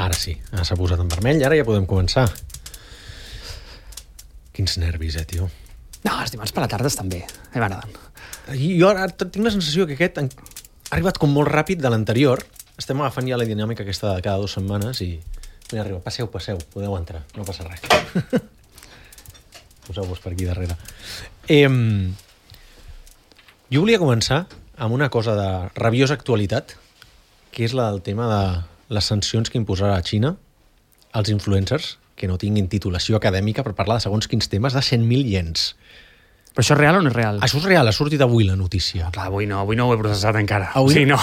Ara sí, s'ha posat en vermell i ara ja podem començar. Quins nervis, tio. No, els dimarts per la tarda estan bé. M'agraden. Jo ara tinc la sensació que aquest ha arribat com molt ràpid de l'anterior. Estem agafant ja la dinàmica aquesta de cada 2 setmanes i... Mira, arriba, passeu, podeu entrar, no passa res. Poseu-vos per aquí darrere. Jo volia començar amb una cosa de rabiosa actualitat, que és la del tema de les sancions que imposarà a Xina als influencers que no tinguin titulació acadèmica per parlar de segons quins temes de 100.000 iens. Però això és real o no és real? Això és real, ha sortit avui la notícia. Clar, avui no ho he processat encara. Avui? Sí, no.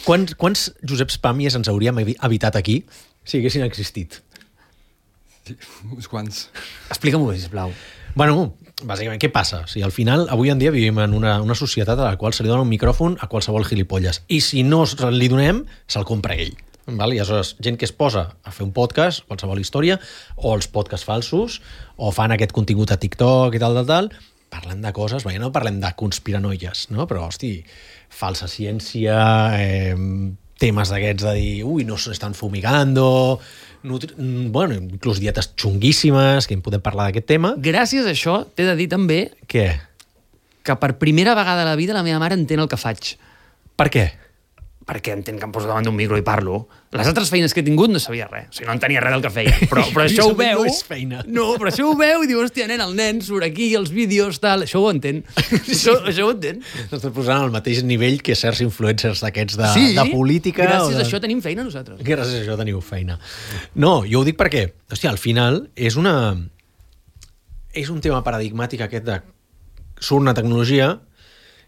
Quants Joseps Pàmies ens hauríem evitat aquí si haguessin existit? Uns quants. Explica'm-ho bé, sisplau. Bueno, bàsicament, què passa? O sigui, al final, avui en dia vivim en una societat a la qual se li dona un micròfon a qualsevol gilipolles. I si no li donem, se'l compra ell. Val? I aleshores, gent que es posa a fer un podcast, qualsevol història, o els podcasts falsos, o fan aquest contingut a TikTok i tal, parlen de coses, no parlem de conspiranoies, no? Però, hosti, falsa ciència, temes d'aquests de dir, no s'estan fumigando, bueno, inclús dietes xunguíssimes, que en podem parlar d'aquest tema. Gràcies a això, t'he de dir també Què? que per primera vegada a la vida la meva mare entén el que faig. Per què? Perquè entén que em poso davant d'un micro i parlo. Les altres feines que he tingut no sabia res. O sigui, no entenia res del que feia. Però això ho veu... No és feina. No, però això ho veu i diu, hòstia, el nen surt aquí, els vídeos, tal... Això ho entén. Això ho entén. Estàs posant al mateix nivell que certs influencers d'aquests de política. Gràcies a això tenim feina nosaltres. Gràcies a això teniu feina. No, jo ho dic perquè, hòstia, al final és un tema paradigmàtic aquest de surt una tecnologia,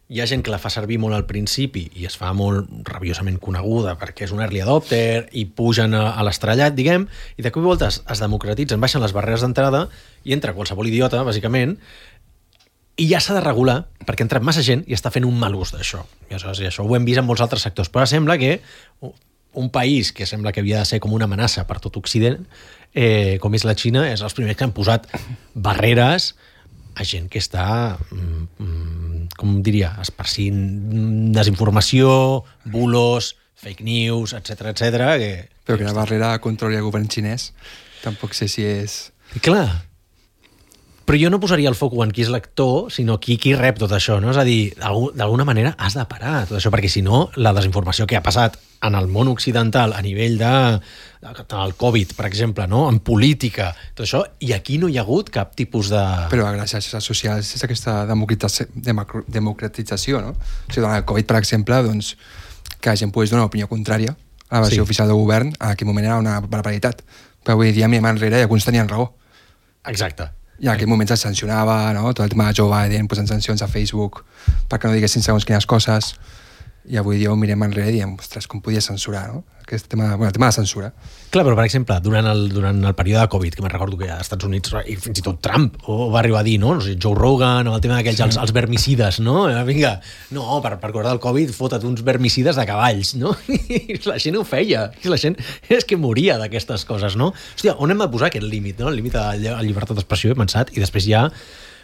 hi ha gent que la fa servir molt al principi i es fa molt rabiosament coneguda perquè és un early adopter i pugen a l'estrellat, diguem, i de cop i volta es democratitzen, baixen les barreres d'entrada i entra qualsevol idiota, bàsicament, i ja s'ha de regular perquè ha entrat massa gent i està fent un mal ús d'això. I això ho hem vist en molts altres sectors, però sembla que un país que sembla que havia de ser com una amenaça per tot Occident, com és la Xina, és els primers que han posat barreres a gent que està, com diria, esparcint desinformació, bulos, fake news, etc. Però que la barrera controli el govern xinès, tampoc sé si és... Clar, però jo no posaria el foc en qui és l'actor, sinó qui rep tot això, no? És a dir, d'alguna manera has de parar tot això, perquè si no, la desinformació que ha passat en el món occidental a nivell del Covid, per exemple, no? En política, tot això, i aquí no hi ha hagut cap tipus de... Però a les xarxes socials és aquesta democratització, no? O sigui, durant el Covid, per exemple, doncs, que la gent pogués donar una opinió contrària a la versió oficial del govern, en aquell moment era una barbaritat. Però avui dia, mirem enrere, i alguns tenien raó. Exacte. I en aquell moment se'ls sancionava, no? Tot el tema de Joe Biden posant sancions a Facebook perquè no diguessin segons quines coses. I avui dia ho mirem enrere i diem, ostres, com podia censurar, no? Aquest tema, el tema de censura. Clar, però per exemple, durant el període de Covid, que me'n recordo que als Estats Units, i fins i tot Trump va arribar a dir, no? No sé, Joe Rogan, o el tema d'aquells, els vermicides, no? Vinga, no, per guardar el Covid, fota't uns vermicides de cavalls, no? I la gent ho feia. I la gent és que moria d'aquestes coses, no? Hòstia, on hem de posar aquest límit, no? El límit a la llibertat d'expressió, he pensat, i després ja,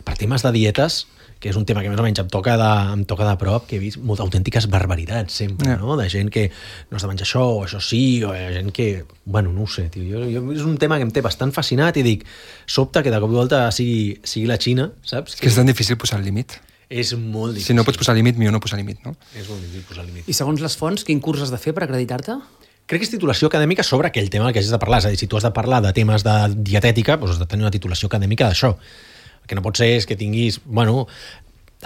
per temes de dietes, que és un tema que més o menys em toca de prop, que he vist moltes autèntiques barbaritats sempre, no? De gent que no has de menjar això, o això sí, o gent que... Bueno, no ho sé, tio. Jo és un tema que em té bastant fascinat i dic, sobta que de cop i volta sigui la Xina, saps? Que és tan difícil posar el límit. És molt difícil. Si no pots posar límit, millor no posar límit, no? És molt difícil posar límit. I segons les fonts, quin curs has de fer per acreditar-te? Crec que és titulació acadèmica sobre aquell tema que hagis de parlar. És a dir, si tu has de parlar de temes de dietètica, doncs has de tenir una titulació acadèmica d'això. El que no pot ser és que tinguis, bueno,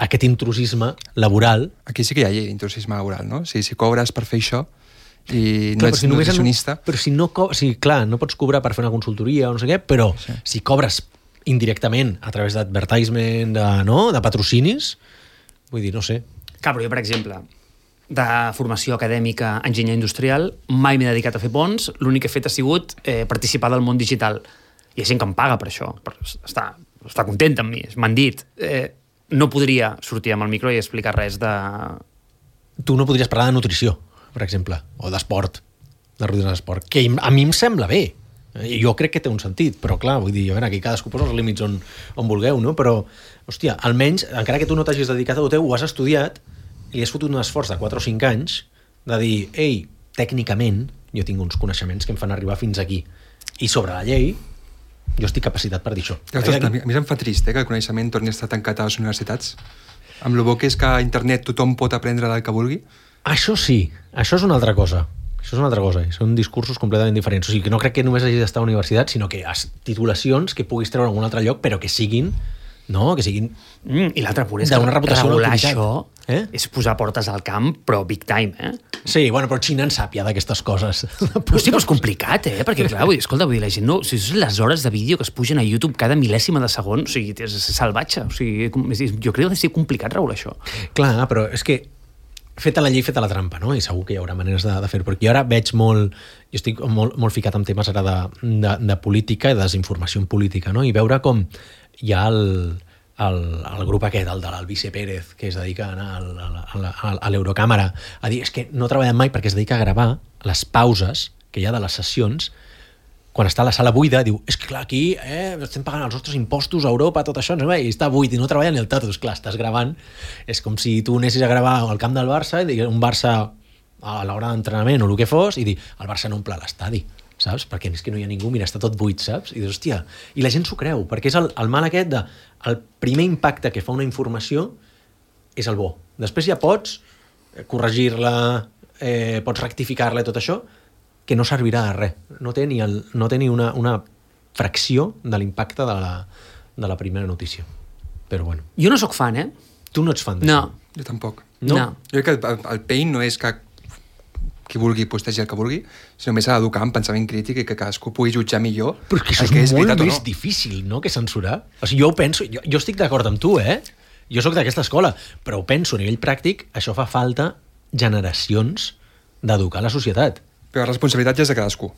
aquest intrusisme laboral. Aquí sí que hi ha llei d'intrusisme laboral, no? Si cobres per fer això i no ets nutricionista... Però si no, clar, no pots cobrar per fer una consultoria o no sé què, però si cobres indirectament a través d'advertisement, de patrocinis, vull dir, no sé. Clar, però jo, per exemple, de formació acadèmica enginyer industrial, mai m'he dedicat a fer ponts, l'únic que he fet ha sigut participar del món digital. Hi ha gent que em paga per això, està content amb mi, m'han dit. No podria sortir amb el micro i explicar res de... Tu no podries parlar de nutrició, per exemple, o d'esport, de rutines d'esport, que a mi em sembla bé. Jo crec que té un sentit, però clar, vull dir, a veure, aquí cadascú posa els límits on vulgueu, no? Però, hòstia, almenys, encara que tu no t'hagis dedicat a lo teu, ho has estudiat i has fotut un esforç de 4 o 5 anys de dir, ei, tècnicament, jo tinc uns coneixements que em fan arribar fins aquí. I sobre la llei, jo estic capacitat per dir això. Ostres, a mi em fa trist que el coneixement torni a estar tancat a les universitats. Amb el bo que és que a internet tothom pot aprendre del que vulgui. Això sí, això és una altra cosa. Això és una altra cosa, són discursos completament diferents. O sigui, que no crec que només hagi d'estar a la universitat, sinó que titulacions que puguis treure en algun altre lloc, però que siguin... No, que siguin... I l'altre punt és que regular això és posar portes al camp, però big time, Sí, bueno, però Xina en sap ja d'aquestes coses. Però sí, però és complicat, perquè clar, escolta, vull dir, la gent no... O sigui, les hores de vídeo que es pugen a YouTube cada mil·lèsima de segon, o sigui, és salvatge. O sigui, jo crec que ha de ser complicat regular això. Clar, però és que feta la llei, feta la trampa, no? I segur que hi haurà maneres de fer-ho. Perquè jo ara veig molt... Jo estic molt ficat en temes ara de política i de desinformació en política, no? I veure com hi ha el grup aquest, el de l'Albice Pérez, que es dedica a anar a l'Eurocàmera a dir, és que no treballen mai perquè es dedica a gravar les pauses que hi ha de les sessions quan està a la sala buida, diu, és que clar, aquí estem pagant els nostres impostos a Europa, tot això, no? I està buit i no treballa ni el tato. Clar, estàs gravant, és com si tu anessis a gravar al camp del Barça i un Barça a l'hora d'entrenament o el que fos i dir, el Barça no omple l'estadi, saps? Perquè és que no hi ha ningú, mira, està tot buit, saps? I dius, hòstia, i la gent s'ho creu, perquè és el mal aquest de el primer impacte que fa una informació és el bo. Després ja pots corregir-la, pots rectificar-la i tot això, que no servirà de res. No té ni una fracció de l'impacte de la primera notícia. Però bueno. Jo no sóc fan, Tu no ets fan d'això? No. Jo tampoc. No. Jo crec que el pain no és que qui vulgui postegi el que vulgui, sinó més s'ha d'educar en pensament crític i que cadascú pugui jutjar millor. Però és que això és molt més difícil, no?, que censurar. O sigui, jo ho penso, jo estic d'acord amb tu, Jo sóc d'aquesta escola, però ho penso a nivell pràctic, això fa falta generacions d'educar la societat. Però la responsabilitat ja és de cadascú.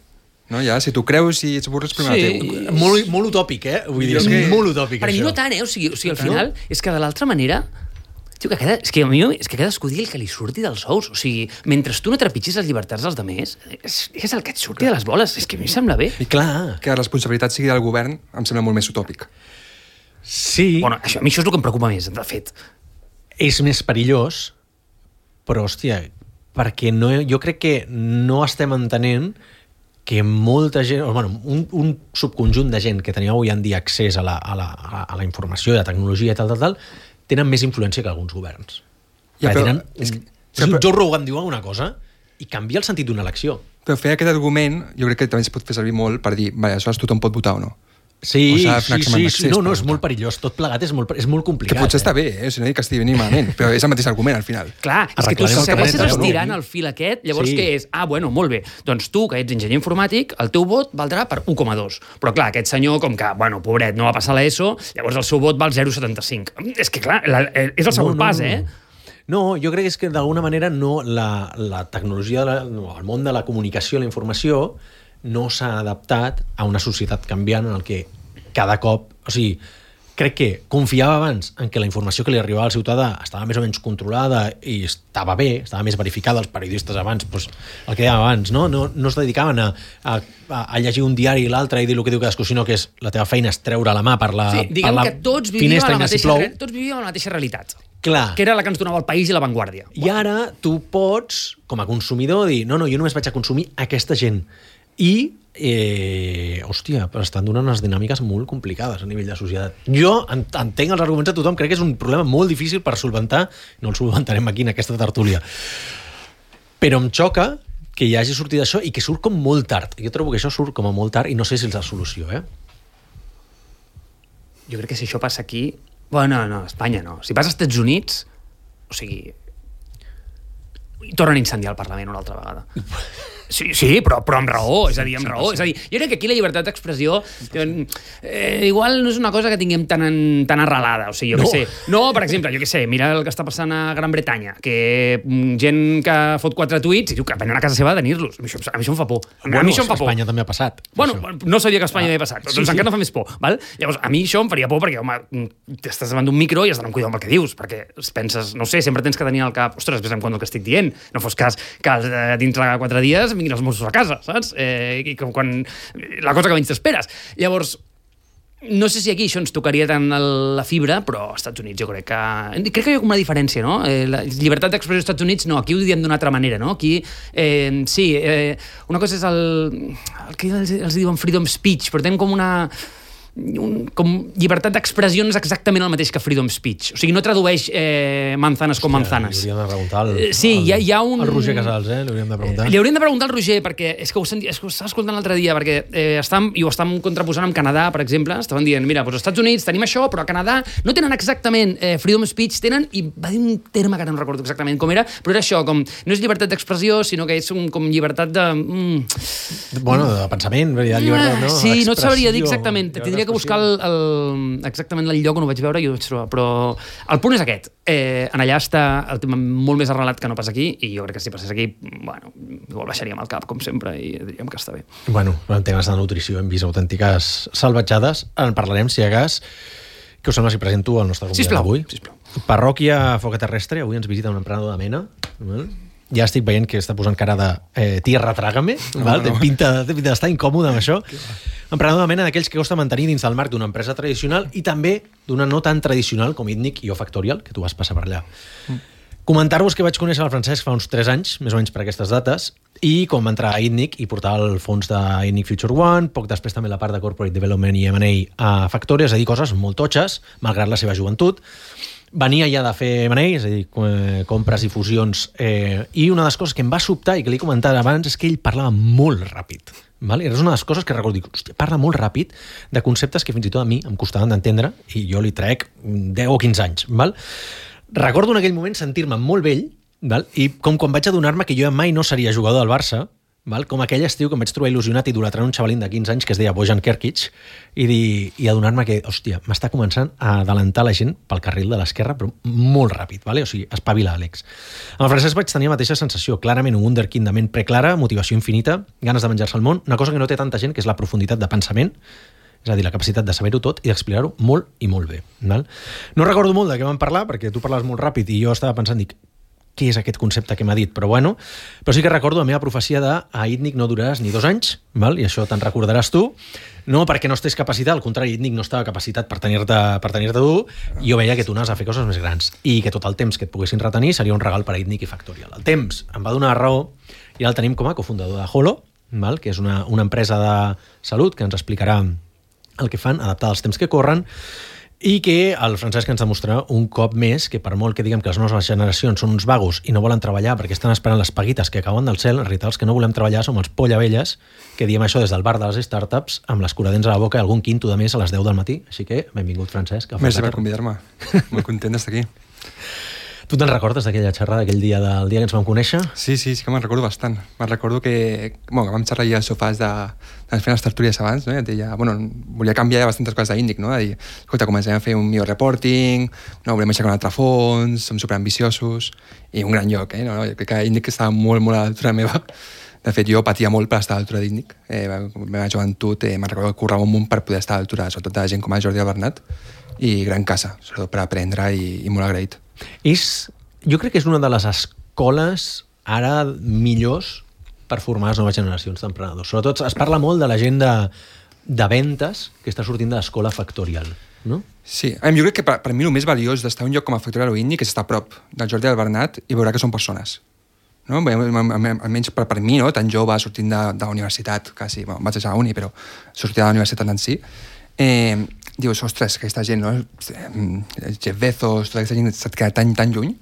No? Ja, si tu creus i ets burro, és problema teu. Molt utòpic, Vull dir, és molt utòpic, per això. Per mi no tant, O sigui, al final, és que de l'altra manera... és que cadascú digui el que li surti dels ous. O sigui, mentre tu no trepitgis les llibertats dels altres, és el que et surti de les boles. És que a mi em sembla bé. I clar. Que la responsabilitat sigui del govern em sembla molt més utòpic. Sí. Bueno, a mi això és el que em preocupa més, de fet. És més perillós, però, hòstia, perquè jo crec que no estem entenent que molta gent, un subconjunt de gent que tenia avui en dia accés a la informació i a la tecnologia i tal, tenen més influència que alguns governs. Ja, però, Joe Rogan diu alguna cosa i canvia el sentit d'una elecció. Però fer aquest argument jo crec que també es pot fer servir molt per dir, aleshores tothom pot votar o no. Sí. No, és molt perillós. Tot plegat és molt complicat. Que potser està bé, si no dic que estigui ni malament, però és el mateix argument al final. Clar, és que tu segueixes estirant el fil aquest, llavors què és? Molt bé, doncs tu, que ets enginyer informàtic, el teu vot valdrà per 1,2. Però clar, aquest senyor, com que, pobret, no va passar l'ESO, llavors el seu vot val 0,75. És que clar, és el segon pas, No, jo crec que és que d'alguna manera la tecnologia, el món de la comunicació i la informació no s'ha adaptat a una societat canviant en el que cada cop... O sigui, crec que confiava abans en que la informació que li arribava al ciutadà estava més o menys controlada i estava bé, estava més verificada. Els periodistes abans, el que dèiem abans, no es dedicaven a llegir un diari i l'altre i dir el que diu cadascú, sinó que la teva feina és treure la mà per la finestra. Sí, diguem que tots vivíem a la mateixa realitat. Clar. Que era la que ens donava el País i la Vanguardia. I ara tu pots, com a consumidor, dir no, jo només vaig a consumir aquesta gent. I, però estan donant unes dinàmiques molt complicades a nivell de societat. Jo entenc els arguments de tothom, crec que és un problema molt difícil per solventar, no el solventarem aquí en aquesta tertúlia. Però em xoca que hi hagi sortit això i que surt com molt tard. Jo trobo que això surt com a molt tard i no sé si és la solució, Jo crec que si això passa aquí... Bueno, no, Espanya no. Si passa als Estats Units, o sigui... tornen a incendiar el Parlament una altra vegada. Sí, però amb raó, és a dir, amb raó. És a dir, jo crec que aquí la llibertat d'expressió igual no és una cosa que tinguem tan arrelada, o sigui, jo què sé. No, per exemple, jo què sé, mira el que està passant a Gran Bretanya, que gent que fot 4 tuits i diu que venen a casa seva a tenir-los. A mi això em fa por. A mi això em fa por. A Espanya també ha passat. Bueno, no sabia que a Espanya havia passat, però doncs encara no fa més por, val? Llavors, a mi això em faria por perquè, home, estàs davant d'un micro i has d'anar amb cuidado amb el que dius, perquè penses, no sé, sempre tens que tenir al cap, ostres, ves en compte el que estic dient, no fos cas que dintre de 4 dies vinguin els Mossos a casa, saps? I quan la cosa que menys t'esperes. Llavors, no sé si aquí això ens tocaria tant la fibra, però als Estats Units jo crec que hi ha com una diferència, no? La llibertat d'expressió als Estats Units, no, aquí ho diem d'una altra manera, no? Aquí, una cosa és el que els diuen freedom speech, però tenen com com llibertat d'expressió no és exactament el mateix que freedom speech. O sigui, no tradueix manzanes com manzanes. Li hauríem de preguntar hi ha un... al Roger Casals, li hauríem de preguntar. Li hauríem de preguntar al Roger, perquè és que ho estava escoltant l'altre dia, perquè ho estàvem contraposant amb Canadà, per exemple. Estaven dient, mira, als Estats Units tenim això, però a Canadà no tenen exactament freedom speech, i va dir un terme que ara no recordo exactament com era, però era això, com no és llibertat d'expressió, sinó que és com llibertat de... Bueno, de pensament, llibertat, no? Sí, no et sabria dir exactament. Tindria que buscar exactament el lloc on ho vaig veure i ho vaig trobar, però el punt és aquest. En allà està el tema molt més arrelat que no pas aquí, i jo crec que si passés aquí, bueno, igual baixaríem el cap, com sempre, i diríem que està bé. Bueno, en temes de nutrició hem vist autèntiques salvatjades. En parlarem, si hi ha cas. Què us sembla si presento el nostre convidat d'avui? Sisplau. Parròquia Foc Terrestre. Avui ens visita un emprenedor de Mena. Ja estic veient que està posant cara de tierra trágame, té pinta d'estar incòmode amb això. Emprenedor de Mena d'aquells que costa mantenir dins del marc d'una empresa tradicional i també d'una no tan tradicional com Itnic i Factorial, que tu vas passar per allà. Comentar-vos que vaig conèixer el Francesc fa uns 3 anys, més o menys per aquestes dates, i com va entrar a Itnic i portar el fons d'Itnic Future One, poc després també la part de Corporate Development i M&A a Factorial, és a dir, coses molt totxes, malgrat la seva joventut. Venia ja de fer M&A, és a dir, compres i fusions, i una de les coses que em va sobtar i que li he comentat abans és que ell parlava molt ràpid. Val? Era una de les coses que recordo, dic, hòstia, parla molt ràpid de conceptes que fins i tot a mi em costaven d'entendre i jo li trec 10 o 15 anys. Val? Recordo en aquell moment sentir-me molt vell, val? I com quan vaig adonar-me que jo mai no seria jugador del Barça, val? Com aquell estiu que em vaig trobar il·lusionat i idolatrant un xavalín de 15 anys que es deia Bojan Kerkic i adonar-me que, hòstia, m'està començant a adelantar la gent pel carril de l'esquerra, però molt ràpid, vale? O sigui, espavila, Àlex. Amb el Francesc vaig tenir la mateixa sensació, clarament un wunderkind de ment preclara, motivació infinita, ganes de menjar-se el món, una cosa que no té tanta gent, que és la profunditat de pensament, és a dir, la capacitat de saber-ho tot i d'explicar-ho molt i molt bé. Val? No recordo molt de què vam parlar, perquè tu parlaves molt ràpid i jo estava pensant, dic, què és aquest concepte que m'ha dit, però sí que recordo la meva profecia de a Itnic no duraràs ni 2 anys, val? I això te'n recordaràs tu, no perquè no estigués capacitat, al contrari, Itnic no estava capacitat per tenir-te tu, i jo veia que tu anaves a fer coses més grans, i que tot el temps que et poguessin retenir seria un regal per a Itnic i Factorial. El temps em va donar raó, i ara el tenim com a cofundador de Holo, val? Que és una empresa de salut que ens explicarà el que fan, adaptada als temps que corren, i que el Francesc ens demostrarà un cop més que per molt que diguem que les noves generacions són uns vagos i no volen treballar perquè estan esperant les paguites que cauen del cel, en realitat els que no volem treballar som els pollavelles que diem això des del bar de les startups amb l'escuradents a la boca i algun quinto de més a les 10 del matí. Així que benvingut, Francesc. Merci per convidar-me. Molt content d'estar aquí. Tu te'n recordes d'aquella xerrada, d'aquell dia del dia que ens vam conèixer? Sí que me'n recordo bastant. Me'n recordo que vam xerrar allà als sofàs de fer les tertúlies abans, no? I et deia, volia canviar bastantes coses d'Índic, no? De dir, escolta, comencem a fer un millor reporting, no, volem aixecar un altre fons, som superambiciosos, i un gran lloc, no? Jo crec que Índic estava molt, molt a l'altura meva. De fet, jo patia molt per estar a l'altura d'Índic. La meva joventut, me'n recordo que currava un munt per poder estar a l'altura, sobretot de gent com a Jordi Albernat, i gran casa, sobretot per aprendre i molt agraït. Jo crec que és una de les escoles ara millors per formar les noves generacions d'emprenedors. Sobretot es parla molt de la gent de ventes que està sortint de l'escola Factorial, no? Sí, jo crec que per mi el més valiós d'estar a un lloc com a Factorial o Itnic és estar a prop del Jordi Albernat i veure que són persones. No? Almenys per mi, no? Tan jove, sortint de la universitat, quasi, vaig deixar la uni, però sortint de la universitat en si, dius, ostres, aquesta gent, no? Jeff Bezos, tota aquesta gent s'ha quedat tan lluny,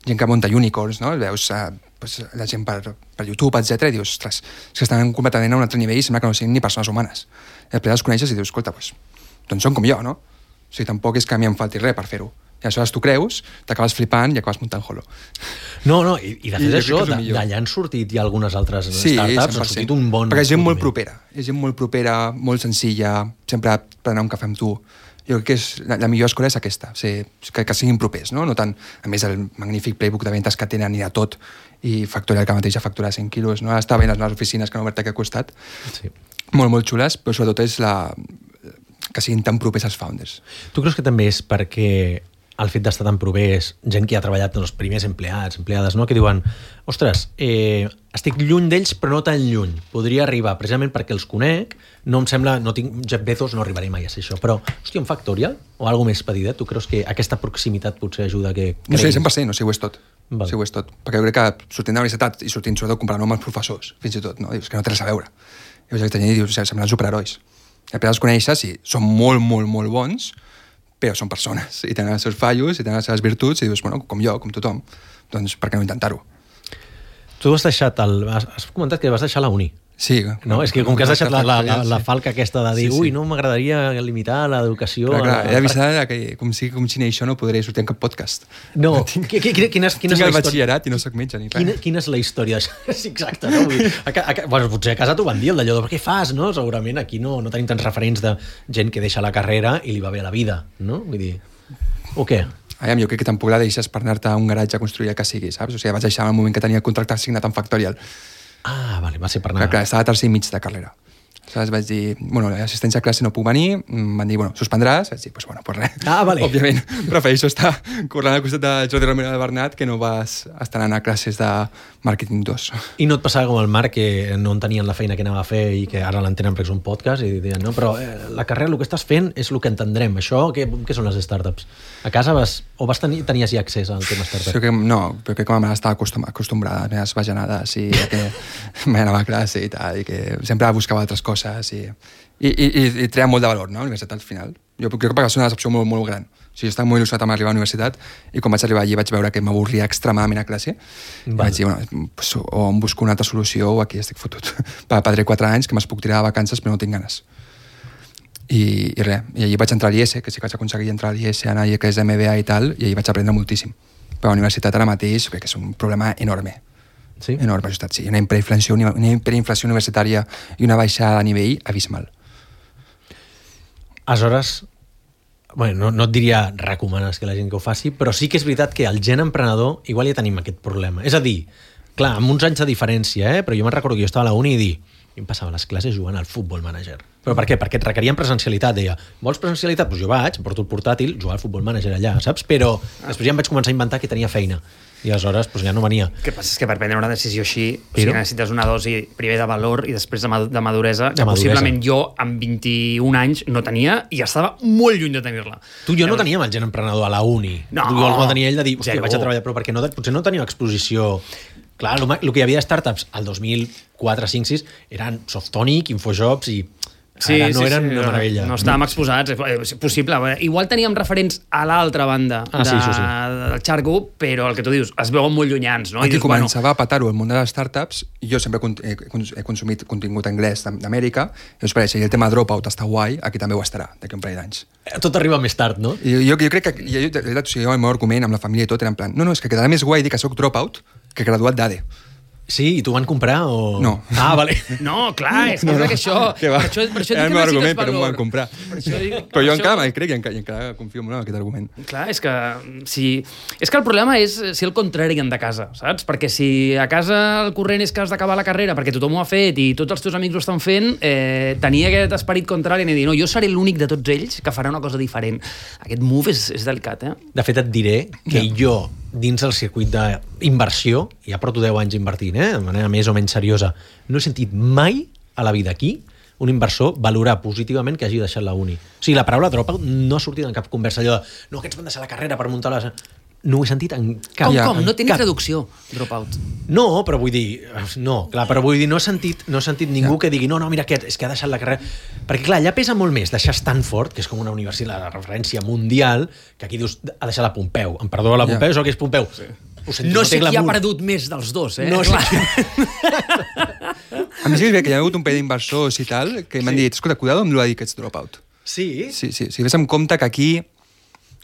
gent que munta unicorns, no? Veus la gent per YouTube, etc. I dius, ostres, és que estan completament a un altre nivell i sembla que no siguin ni persones humanes. I després els coneixes i dius, escolta, doncs són com jo, no? O sigui, tampoc és que a mi em falti res per fer-ho. I aleshores tu creus, t'acabes flipant i acabes muntant Holo. No, i de fet això, d'allà han sortit ja algunes altres startups, han sortit un bon... Perquè és gent molt propera, molt senzilla, sempre per anar a un cafè amb tu. Jo crec que la millor escola és aquesta, que siguin propers, no? No tant, a més, el magnífic playbook de ventes que tenen i de tot, i Factorial que mateix ha facturat 100 quilos, no? Està bé les noves oficines que han obert aquí al costat. Sí. Molt, molt xules, però sobretot és que siguin tan propers als founders. Tu creus que també és perquè el fet d'estar tan propers, gent que ha treballat en els primers empleades, no? Que diuen, ostres, estic lluny d'ells però no tan lluny, podria arribar precisament perquè els conec, no em sembla, no tinc Jeff Bezos, no arribaré mai a ser això, però, hòstia, un Factorial o alguna més petitet, tu creus que aquesta proximitat potser ajuda a que No sé, creguis? 100%, no sé, ho és tot. Val. Sí, ho és tot. Perquè jo crec que sortint de la universitat i sortint sobretot comparant amb els professors, fins i tot, no? Dius que no té res a veure. I llavors i dius, semblen superherois. I després els coneixes i són molt, molt, molt bons, però són persones i tenen els seus fallos i tenen les seves virtuts i dius, bueno, com jo, com tothom, doncs per què no intentar-ho? Tu has deixat has comentat que vas deixar la uni. Sí. No, és que com que has deixat la sí. falca aquesta de dir, Sí, sí. ui, no m'agradaria limitar l'educació... Clar, he d'avisar que com si això no podré sortir en cap podcast. No, Tinc quina és el la història? batxillerat i no soc metge ni res. Quina és la història d'això? Sí, exacte, no? Vull dir, bueno, potser a casa t'ho van dir, el d'allò de què fas, no? Segurament aquí no tenim tants referents de gent que deixa la carrera i li va bé la vida, no? Vull dir, o què? Aviam, jo crec que tampoc la deixes per anar-te a un garatge a construir el que sigui, saps? O sigui, vaig deixar en el moment que tenia el contracte signat amb Factorial. Ah, vale, va ser per anar... Clar, estava a tercer i mig de carrera. Aleshores vaig dir, bueno, l'assistència a classe no puc venir, em van dir, bueno, suspendràs? Vaig dir, pues bueno, pues res. Ah, vale. Òbviament, prefereixo estar corrent al costat de Jordi Romero de Bernat que no vas estar anant a classes de màrqueting 2. I no et passava com el Marc, que no entenien la feina que anava a fer i que ara l'entenen perquè és un podcast i deien, no, però la carrera, el que estàs fent és el que entendrem. Això, què són les startups? A casa tenies ja accés al tema startup? Sí, no, però crec que ma mare estava acostumbrada a les meves bajanades i que m'anava a classe i tal, i que sempre buscava altres coses i treia molt de valor, no, a la universitat al final. Jo crec que va ser una decepció molt, molt gran. O sigui, jo estava molt il·lusionat amb arribar a la universitat i quan vaig arribar allí vaig veure que m'avorria extremadament a classe i vaig dir, bueno, pues, o em busco una altra solució o aquí estic fotut. Padré 4 anys que me'ls puc tirar de vacances però no tinc ganes. I res, i allí vaig entrar a l'IES, que sí que vaig aconseguir entrar a l'IES, anar a que és MBA i tal, i allí vaig aprendre moltíssim. Però a la universitat ara mateix crec que és un problema enorme. Sí? Enorme, sí. Una hiperinflació universitària i una baixada de nivell abismal. Aleshores, bueno, no et diria recomanes que la gent que ho faci, però sí que és veritat que el gen emprenedor igual ja tenim aquest problema. És a dir, clar, amb uns anys de diferència, però jo me'n recordo que jo estava a la uni i dir, jo em passava les classes jugant al Futbol Manager. Però per què? Perquè et requerien presencialitat. Deia, vols presencialitat? Doncs jo vaig, porto el portàtil, jugar al Futbol Manager allà, saps? Però després ja em vaig començar a inventar que tenia feina. I aleshores doncs, ja no venia. El que passa és que per prendre una decisió així, o sigui, necessites una dosi primer de valor i després de maduresa, que possiblement jo amb 21 anys no tenia i estava molt lluny de tenir-la. Tu i jo no teníem el gen emprenedor a la uni. No. Tu el tenia ell de dir, hòstia, vaig a treballar, però perquè potser no tenia exposició. Clar, el que hi havia de startups al 2004, 5, 6 eren Softonic, Infojobs i no eren una meravella. No estàvem exposats, és possible. Igual teníem referents a l'altra banda del xargo, però el que tu dius, es veuen molt llunyans. No? Aquí començava a petar-ho el món de les startups i jo sempre he consumit contingut anglès d'Amèrica i us pareix, si el tema Dropout està guai, aquí també ho estarà, d'aquí un parell d'anys. Tot arriba més tard, no? I jo crec que el meu argument amb la família i tot era en plan, no, és que quedarà més guai dir que soc Dropout que graduat d'ADE. Sí, i t'ho van comprar o...? No. Ah, vale. No, clar, és que això... Que va, per això era el meu argument, però no m'ho van comprar. Però jo encara me'l crec i encara confio molt en aquest argument. Clar, és que el problema és si el contrari de casa, saps? Perquè si a casa el corrent és que has d'acabar la carrera perquè tothom ho ha fet i tots els teus amics ho estan fent, tenia aquest esperit contrari i dir, no, jo seré l'únic de tots ells que farà una cosa diferent. Aquest move és delicat, eh? De fet, et diré que jo, dins del circuit d'inversió, ja porto 10 anys invertint, de manera més o menys seriosa, no he sentit mai a la vida aquí un inversor valorar positivament que hagi deixat la uni. O sigui, la paraula dropout no ha sortit en cap conversa allò de no, aquests van deixar la carrera per muntar les... No ho he sentit en cap... Com? No tenia traducció, dropout. No, però vull dir... No, clar, però vull dir, no he sentit ningú que digui no, mira, és que ha deixat la carrera... Perquè, clar, allà pesa molt més deixar Stanford, que és com una universitat de referència mundial, que aquí dius, ha deixat la Pompeu. Em perdó la Pompeu, és el que és Pompeu. Sí. No sé qui ha perdut més dels dos, No sé qui... A mi sí que hi ha hagut un parell d'inversors i tal que m'han dit, escolta, cuidado amb el de dir que ets dropout. Sí? Sí, si ves en compte que aquí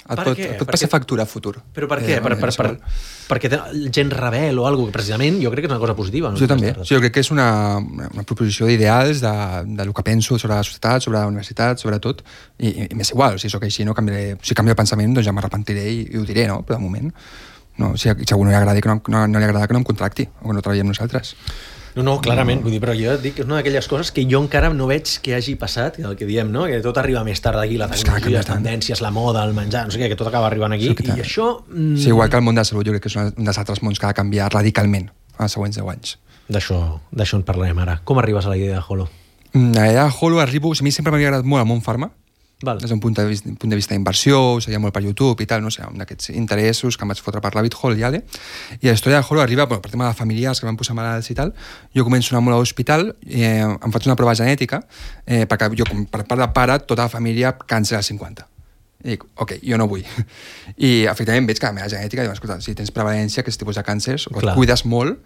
et pot passar factura a futur. Però per què? Perquè gent rebel o alguna cosa, precisament jo crec que és una cosa positiva. Jo també. Jo crec que és una proposició d'ideals del que penso sobre la societat, sobre la universitat, sobre tot, i m'és igual, si sóc així, no canviaré, si canvio de pensament, doncs ja m'arrepentiré i ho diré, no? Però de moment, no, si a algú no li agrada que no em contracti o que no treballi amb nosaltres. No, clarament, vull dir, però jo et dic que és una d'aquelles coses que jo encara no veig que hagi passat, el que diem, no? Que tot arriba més tard d'aquí, la tecnologia, les tendències, la moda, el menjar, no sé què, que tot acaba arribant aquí, i això... Sí, igual que el món de la salut, jo crec que és un dels altres mons que ha de canviar radicalment els següents 10 anys. D'això en parlarem ara. Com arribes a la idea de Holo? A la Holo arribo... A mi sempre m'havia agradat molt el món farma, Val. des d'un punt de vista d'inversió, ho seguia molt per YouTube i tal, no sé, un d'aquests interessos que em vaig fotre per Rabbit Hole i Ale. I la història de Holo arriba, per tema de familiars que van posar malalts i tal, jo començo a anar molt a l'hospital, em faig una prova genètica, perquè jo, per part de pare, tota la família càncer als 50. I dic, ok, jo no vull. I efectivament veig que la meva genètica, diu, escolta, si tens prevalència, aquest tipus de càncers, o et cuides molt,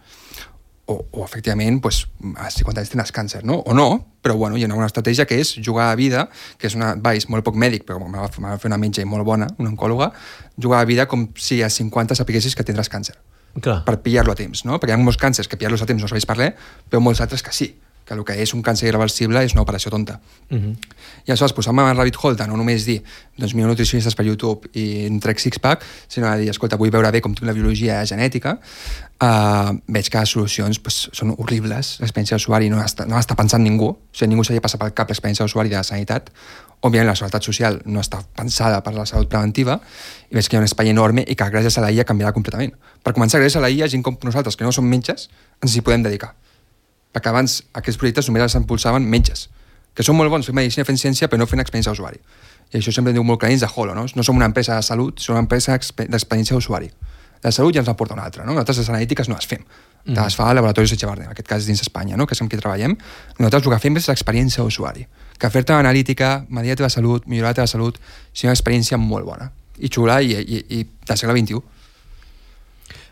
o efectivament, pues, a 50 anys tindràs càncer, no? O no, però bueno, hi ha una estratègia que és jugar a vida, que és una advice molt poc mèdic, però me va fer una metge molt bona, una oncòloga, jugar a vida com si a 50 sapiguessis que tindràs càncer. Clar. Per pillar-lo a temps, no? Perquè hi ha molts càncers que pillar-los a temps no sabeix per res, però molts altres que sí, que el que és un càncer irreversible és una operació tonta. I aleshores, posant-me a Rabbit Hole de no només dir, doncs miro nutricionistes per YouTube i en trec six-pack, sinó a dir, escolta, vull veure bé com tinc la biologia genètica, veig que les solucions pues, són horribles, l'experiència d'usuari no està pensant ningú, o sigui, ningú s'havia passat pel cap l'experiència d'usuari de la sanitat, òbviament la seguretat social no està pensada per la salut preventiva, i veig que hi ha un espai enorme i que gràcies a la IA canviarà completament. Per començar, gràcies a la IA, gent com nosaltres, que no som metges, ens hi podem dedicar. Perquè abans aquests projectes només els impulsaven metges, que són molt bons fent medicina, fent ciència, però no fent experiència d'usuari. I això sempre diu molt clarins de Holo, no? No som una empresa de salut, som una empresa d'experiència d'usuari. De salut ja ens en porta una altra, no? Nosaltres les analítiques no les fem. Les fa el Laboratori Echevarne, en aquest cas dins Espanya, no? Que és amb qui treballem. Nosaltres el que fem és l'experiència d'usuari. Que fer-te una analítica, medir la teva salut, millorar la teva salut, és una experiència molt bona. I xula i del segle XXI.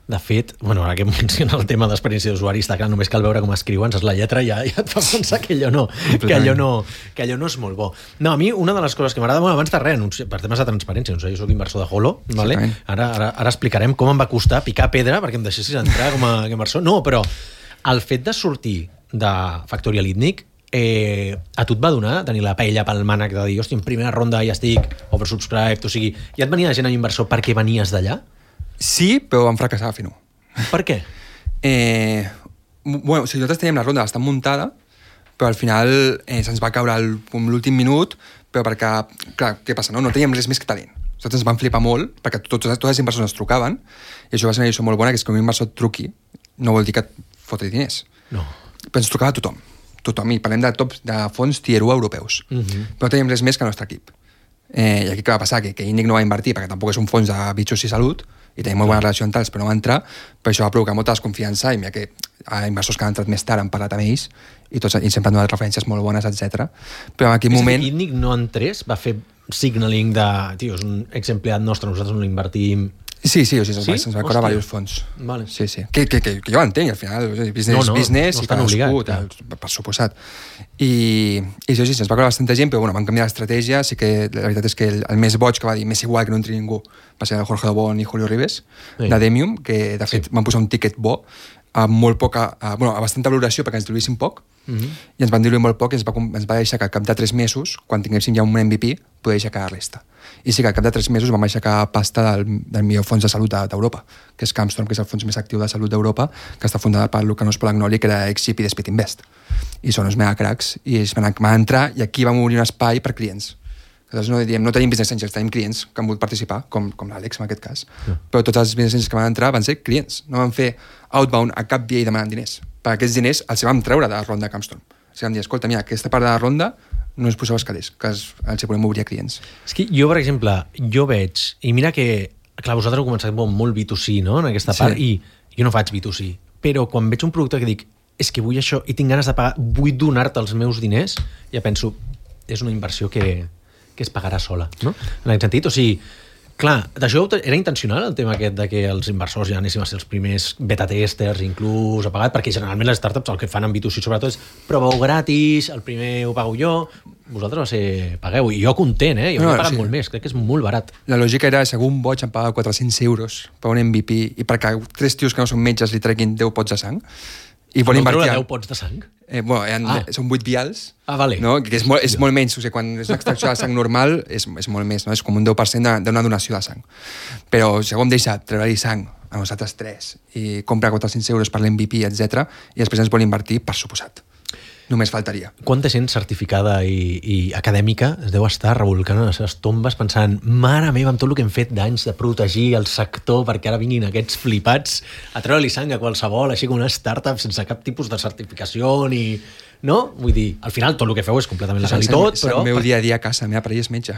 De fet, bueno, ara que menciona el tema d'experiència d'usuari, està clar, només cal veure com escriuen, saps la lletra ja et fa pensar que allò no és molt bo. No, a mi una de les coses que m'agrada molt, abans de res, per temes de transparència, jo soc inversor de Holo, vale? Ara explicarem com em va costar picar pedra perquè em deixessis entrar com a inversor. No, però el fet de sortir de Factorial Itnic a tu et va donar tenir la paella pel mànec de dir, hòstia, en primera ronda ja estic oversubscribed, o sigui, ja et venia gent a inversor perquè venies d'allà? Sí, però vam fracassar a fer-ho. Per què? Bueno, o sigui, nosaltres teníem la ronda bastant muntada, però al final se'ns va caure l'últim minut, però perquè, clar, què passa, no? No teníem res més que talent. Nosaltres ens vam flipar molt, perquè tots els inversors ens trucaven, i això va ser una lliçó molt bona, que és que un inversor et truqui no vol dir que et fotri diners. No. Però ens trucava tothom, i parlem de tops de fons tier 1 europeus. Però no teníem res més que el nostre equip. I aquí què va passar? Que Itnic no va invertir, perquè tampoc és un fons de bitxos i salut, i tenim molt bona relació amb tals, però no va entrar, però això va provocar molta desconfiança, i mira que inversors que han entrat més tard han parlat amb ells, i sempre han donat referències molt bones, etc. Però en aquell moment... Que Itnic no entrés, va fer signaling de... Tio, és un exempleat nostre, nosaltres no l'invertim... Sí, o sigui, se'ns va cobrar diversos fons. Vale. Sí. Que jo entenc, al final, business i cadascú, per suposat. I això sí, se'ns va cobrar bastanta gent, però bueno, van canviar l'estratègia, sí que la veritat és que el més boig que va dir, més igual que no entri ningú, va ser el Jorge Dobón i Julio Ribes, de Demium, que de fet van posar un tiquet bo, a molt poca, a bastanta valoració perquè ens diluïssin poc, i ens van diluir molt poc i ens va deixar que al cap de 3 mesos, quan tinguéssim ja un MVP, poder aixecar la resta. I sí que al cap de 3 mesos vam aixecar pasta del millor fons de salut d'Europa, que és Camstorm, que és el fons més actiu de salut d'Europa, que està fundat per Lucanos Polagnoli, que era ex-GP de Speed Invest. I són uns mega cracs, i ells van entrar, i aquí vam obrir un espai per clients. Nosaltres no tenim business angels, tenim clients que han volgut participar, com l'Àlex en aquest cas. Però tots els business angels que van entrar van ser clients, no van fer outbound a cap dia i demanant diners. Per aquests diners els vam treure de la ronda de Camstorm. O sigui, vam dir, escolta, mira, aquesta part de la ronda no us poseu els calés, que els podem obrir a clients. És que jo, per exemple, veig, i mira que, clar, vosaltres heu començat molt B2C, no?, en aquesta part, i jo no faig B2C, però quan veig un producte que dic, és que vull això i tinc ganes de pagar, vull donar-te els meus diners, ja penso, és una inversió que es pagarà sola, no? En aquest sentit, o sigui, clar, d'això era intencional el tema aquest de que els inversors ja anéssim a ser els primers beta-testers, inclús a pagat, perquè generalment les startups el que fan en B2C sobretot és proveu gratis, el primer ho pago jo, vosaltres va ser pagueu, i jo content, jo he pagat molt més, crec que és molt barat. La lògica era, segur un boig em paga 400 euros per un MVP, i perquè 3 tios que no són metges li treguin 10 pots de sang, i vol invertir... 10 pots de sang? Són 8 vials, vale. No? Que és molt menys, o sigui, quan és una extracció de sang normal és molt més, no? És com un 10% d'una donació de sang. Però si algú em deixa treure-hi sang a nosaltres 3 i compra 400 euros per l'MVP, etc., i després ens vol invertir, per suposat. Només faltaria. Quanta gent certificada i acadèmica es deu estar revolcant a les seves tombes pensant, mare meva, amb tot el que hem fet d'anys de protegir el sector perquè ara vinguin aquests flipats a treure-li sang a qualsevol, així com una startup sense cap tipus de certificació ni no? Vull dir, al final tot el que feu és completament legal i tot, però... El meu dia a dia a casa, la meva parella és metge.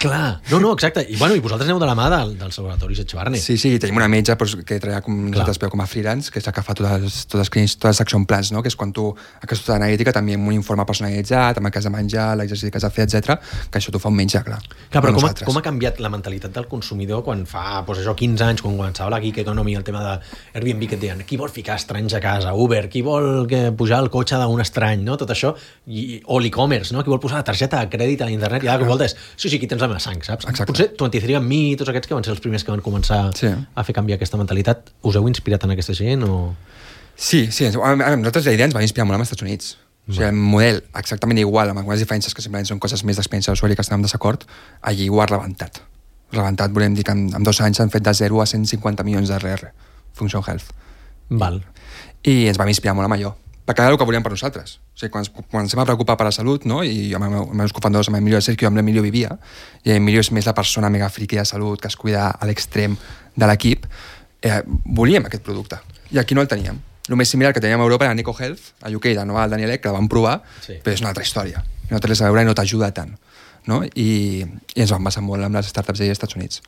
Clar, no, exacte. I vosaltres aneu de la mà dels laboratoris Etxebarne. Sí, tenim una metge que treballa nosaltres com a freelance, que és la que fa totes les action plans, no? Que és quan tu, aquesta analítica també amb un informe personalitzat, amb el que has de menjar, l'exercici que has de fer, etc, que això t'ho fa un metge, clar. Clar, però com ha canviat la mentalitat del consumidor quan fa, 15 anys, quan començava la gig economy, el tema de Airbnb, que et deien, qui vol ficar estranys a casa? Uber, qui vol pujar el cotxe d'un estrany, no? Tot això, o l'e-commerce, no? Qui vol posar la targeta de crèdit a l'internet, i ara que vol és, sí, aquí tens la meva sang, saps? Exacte. Potser 23andMe, tots aquests que van ser els primers que van començar a fer canviar aquesta mentalitat, us heu inspirat en aquesta gent o...? Sí, nosaltres la idea ens va inspirar molt als Estats Units. O sigui, el model exactament igual, amb algunes diferències que simplement són coses més d'experiència d'usuari que estem en desacord, allí ho ha rebentat. Rebentat, volem dir que en 2 anys s'han fet de 0 a 150 milions d'RR, Function Health. Val. I ens vam inspirar molt amb allò, perquè era el que volíem per nosaltres. O sigui, quan ens vam preocupar per la salut, no? I amb els meus cofundadors, amb l'Emilio Sergio, amb l'Emilio vivia, i l'Emilio és més la persona mega friqui de salut que es cuida a l'extrem de l'equip, volíem aquest producte. I aquí no el teníem. El més similar que teníem a Europa era Nico Health, a UK, la nova del Daniel Ek, que la vam provar, però és una altra història. No té res a veure i no t'ajuda tant. No? I ens vam basar molt amb les startups dels Estats Units.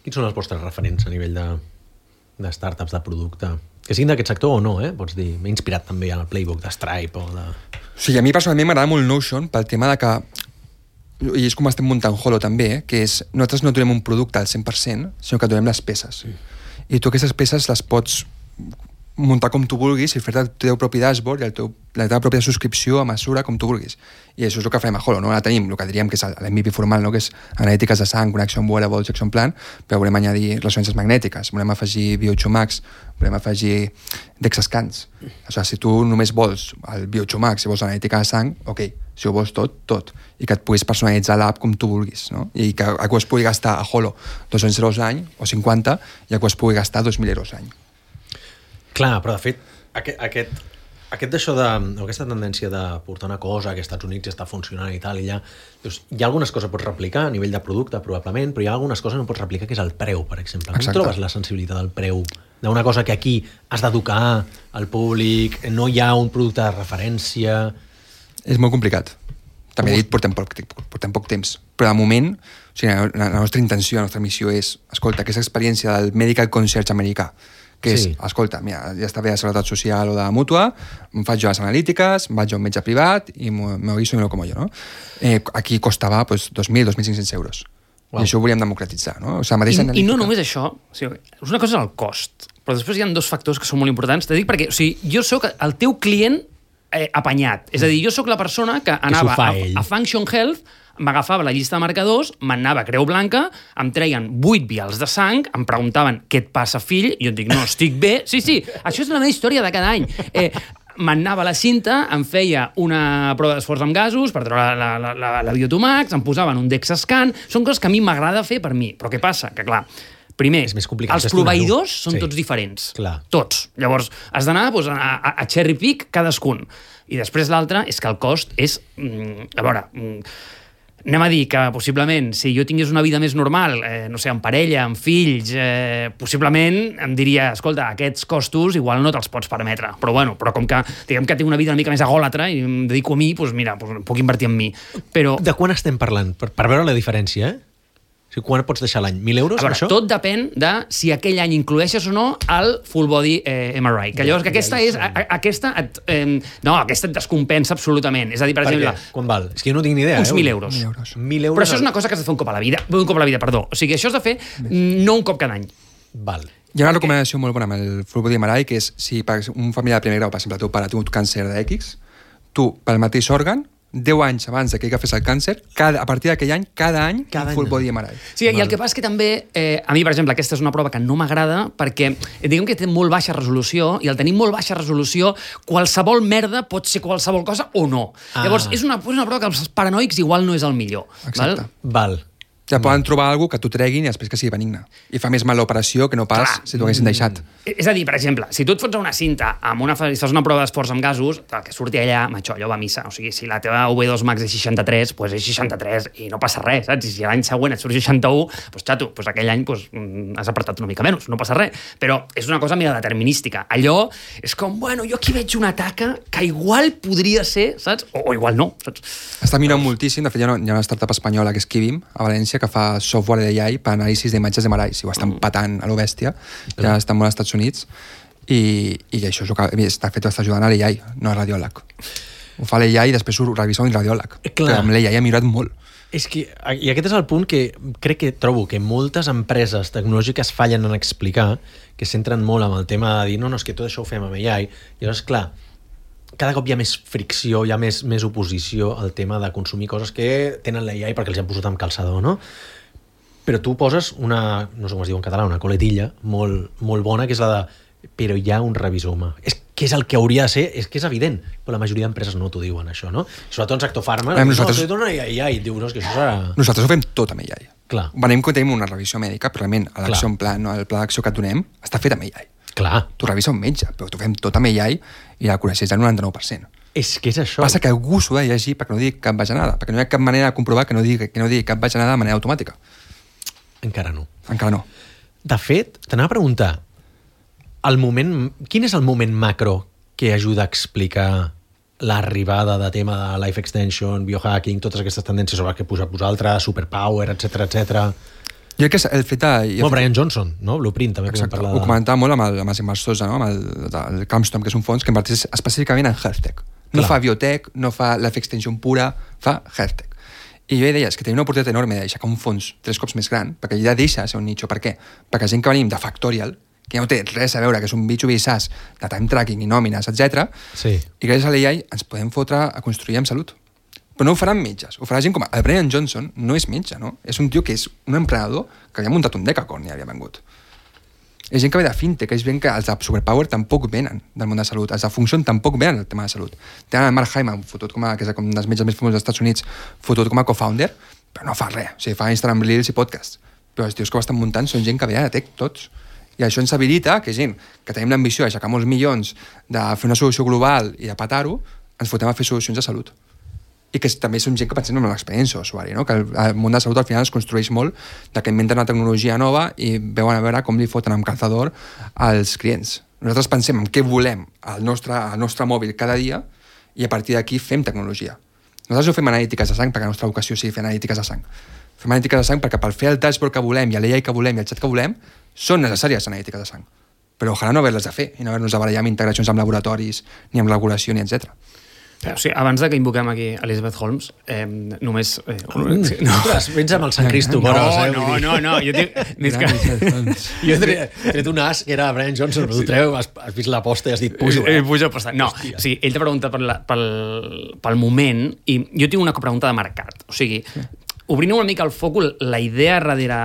Quins són els vostres referents a nivell de startups, de producte? Que siguin d'aquest sector o no, pots dir. M'he inspirat també en el playbook de Stripe o de... Sí, a mi personalment m'agrada molt Notion pel tema de que, i és com estem muntant Holo també, que és, nosaltres no donem un producte al 100%, sinó que donem les peces. I tu aquestes peces les pots muntar com tu vulguis i fer-te el teu propi dashboard i la teva pròpia subscripció a mesura com tu vulguis. I això és el que farem a Holo, no? Ara tenim el que diríem que és l'MVP formal, no? Que és analítiques de sang, connexió amb wearables, action plan, però volem añadir ressonàncies magnètiques, volem afegir Biocho Max, volem afegir DEXA scans. O sigui, si tu només vols el Biocho Max i vols l'analítica de sang, ok, si ho vols tot. I que et puguis personalitzar l'app com tu vulguis, no? I que algú es pugui gastar a Holo 200 euros l'any, o 50, i algú es pugui gastar 2.000 euros l'any. Clar, però de fet, aquest d'això aquesta tendència de portar una cosa que als Estats Units està funcionant i tal, i allà, dius, hi ha algunes coses que pots replicar a nivell de producte, probablement, però hi ha algunes coses que no pots replicar, que és el preu, per exemple. Com trobes la sensibilitat del preu d'una cosa que aquí has d'educar al públic, no hi ha un producte de referència... És molt complicat. També he dit, portem poc temps. Però de moment, o sigui, la nostra intenció, la nostra missió és, escolta, aquesta experiència del medical concierge americà, que és, escolta, mira, ja està bé de Seguretat Social o de Mútua, em faig jo les analítiques, em vaig a un metge privat i me guiso y me lo como yo, no? Aquí costava 2.000, 2.500 euros. Wow. I això ho volíem democratitzar, no? O sigui, I no només això, o sigui, una cosa és el cost, però després hi ha 2 factors que són molt importants. Te dic perquè, o sigui, jo sóc el teu client apanyat. És a dir, jo sóc la persona que anava a Function Health, m'agafava la llista de marcadors, m'anava a Creu Blanca, em treien 8 vials de sang, em preguntaven què et passa, fill, i jo et dic, no, estic bé. Sí, això és la meva història de cada any. M'anava a la cinta, em feia una prova d'esforç amb gasos per treure la Biotomax, em posaven un DEXA scan, són coses que a mi m'agrada fer per mi. Però què passa? Que clar, primer, els proveïdors són tots diferents. Clar. Tots. Llavors, has d'anar a cherry pick cadascun. I després l'altre és que el cost és... A veure... Anem a dir que, possiblement, si jo tingués una vida més normal, no sé, amb parella, amb fills, possiblement em diria, escolta, aquests costos igual no te'ls pots permetre. Però com que, diguem que tinc una vida una mica més agòlatra i em dedico a mi, doncs mira, puc invertir en mi. Però... De quan estem parlant? Per veure la diferència, O sigui, quan pots deixar l'any? 1.000 euros, a veure, això? Tot depèn de si aquell any incloeixes o no el full body MRI. Que llavors que aquesta és... Aquesta et descompensa absolutament. És a dir, per exemple... Quan val? És que jo no tinc ni idea. Uns 1.000 euros. 1.000 euros. Però això és una cosa que has de fer un cop a la vida. O sigui, això has de fer no un cop cada any. Val. Hi ha una recomanació molt bona amb el full body MRI, que és si un familiar de primer grau, per exemple, el teu pare té un càncer d'X, tu, pel mateix òrgan, 10 anys abans que agafés el càncer, a partir d'aquell any, cada any, un full body MRI. Sí, i el que passa és que també, a mi, per exemple, aquesta és una prova que no m'agrada perquè, diguem que té molt baixa resolució, i al tenir molt baixa resolució, qualsevol merda pot ser qualsevol cosa o no. Llavors, és una prova que els paranoics igual no és el millor. Exacte. Val. Ja poden trobar alguna que t'ho treguin i després que sigui benigne. I fa més mal l'operació que no pas si t'ho haguessin deixat. És a dir, per exemple, si tu et fots a una cinta amb fas una prova d'esforç amb gasos, el que surti allà, macho, allò va a missa. O sigui, si la teva V2 max és 63, doncs és 63 i no passa res, saps? I si l'any següent et surt 61, doncs xato, doncs aquell any has apretat una mica menys, no passa res. Però és una cosa mira determinística. Allò és com, bueno, jo aquí veig una taca que igual podria ser, saps? O igual no, saps? Està mirant moltíssim, de fet hi ha una startup espanyola que és Kivim, a València, que fa software d'AI per anàlisis d'imatges de malalls, i ho estan patant a lo bèstia, ja estan molt als Estats Units, i això és el que està fet, està ajudant a l'AI, no a radiòleg. Ho fa l'AI i després ho revisa un radiòleg. Però amb l'AI ha millorat molt. És que, i aquest és el punt que trobo que moltes empreses tecnològiques fallen en explicar, que centren molt amb el tema de dir, no, és que tot això ho fem amb AI, i llavors, clar, cada cop hi ha més fricció, hi ha més oposició al tema de consumir coses que tenen l'AI perquè els han posat amb calçador, no? Però tu poses una, no sé com es diu en català, una coletilla molt, molt bona, que és la de però hi ha un revisor humà. És que és el que hauria de ser, és que és evident, però la majoria d'empreses no t'ho diuen, això, no? Sobretot en sector farma, nosaltres... no, t'ho dona AI, diu, no, és que això serà... Nosaltres ho fem tot amb AI. Clar. Venim que tenim una revisió mèdica, però realment l'acció en plan, no, el pla d'acció que et donem està fet amb AI. Clar. T'ho revisa un metge, però t'ho fem tot amb AI i l'acuració és del 99%. És que és això. Passa que algú s'ho ha de llegir perquè no digui cap bajanada, perquè no hi ha cap manera de comprovar que no digui cap bajanada de manera automàtica. Encara no. Encara no. De fet, t'anava a preguntar, quin és el moment macro que ajuda a explicar l'arribada de tema de life extension, biohacking, totes aquestes tendències sobre les que posat vosaltres, superpower, etc. Jo crec que el fet de... Brian Johnson, no? Blueprint, també. Exacte, ho comentava molt amb els inversors, no? Amb el Camstom, que és un fons que inverteix específicament en health tech. No fa biotech, no fa life extension pura, fa health tech. I jo deia, és que tenim una oportunitat enorme d'aixecar un fons 3 cops més gran, perquè ja deixa de ser un nicho. Per què? Perquè gent que venim de Factorial, que ja no té res a veure, que és un B2B SaaS de time tracking i nòmines, etc. Sí. I gràcies a l'AI ens podem fotre a construir amb salut. Però no ho faran metges, ho farà gent com... El Brian Johnson no és metge, no? És un tio que és un emprenedor que havia muntat un decacorn i havia vengut. És gent que ve de fintech, és gent que els de Superpower tampoc venen del món de salut, els de Function tampoc venen del tema de salut. Tenen el Mark Hyman, fotut que és un dels metges més famosos dels Estats Units, fotut com a co-founder, però no fa res. O sigui, fa Instagram Reels i podcasts. Però els tios que ho estan muntant són gent que ve de tech, tots. I això ens habilita que gent que tenim l'ambició d'aixecar molts milions, de fer una solució global i de petar-ho, ens fotem a fer solucions de salut. I que també són gent que pensem en l'experiència d'usuari, no? Que el món de salut al final es construeix molt de que inventen una tecnologia nova i veuen a veure com li foten amb calzador als clients. Nosaltres pensem en què volem al nostre mòbil cada dia i a partir d'aquí fem tecnologia. Nosaltres no fem analítiques de sang perquè la nostra vocació sigui fer analítiques de sang. Fem analítiques de sang perquè per fer el dashboard que volem i l'AI que volem i el xat que volem són necessàries analítiques de sang. Però ojalà no haver-les de fer i no haver-nos de barallar amb integracions amb laboratoris, ni amb regulació, ni etc. O sigui, abans de que invoquem aquí Elizabeth Holmes, només... Ostres, vens amb el Sant Cristo. No, jo tinc... Jo he tret un as que era Brian Johnson, però tu treu, has vist l'aposta i has dit pujo. Pujo aposta. No, o sigui, ell t'ha preguntat pel moment i jo tinc una pregunta de mercat. O sigui, obrint una mica el focus, la idea darrere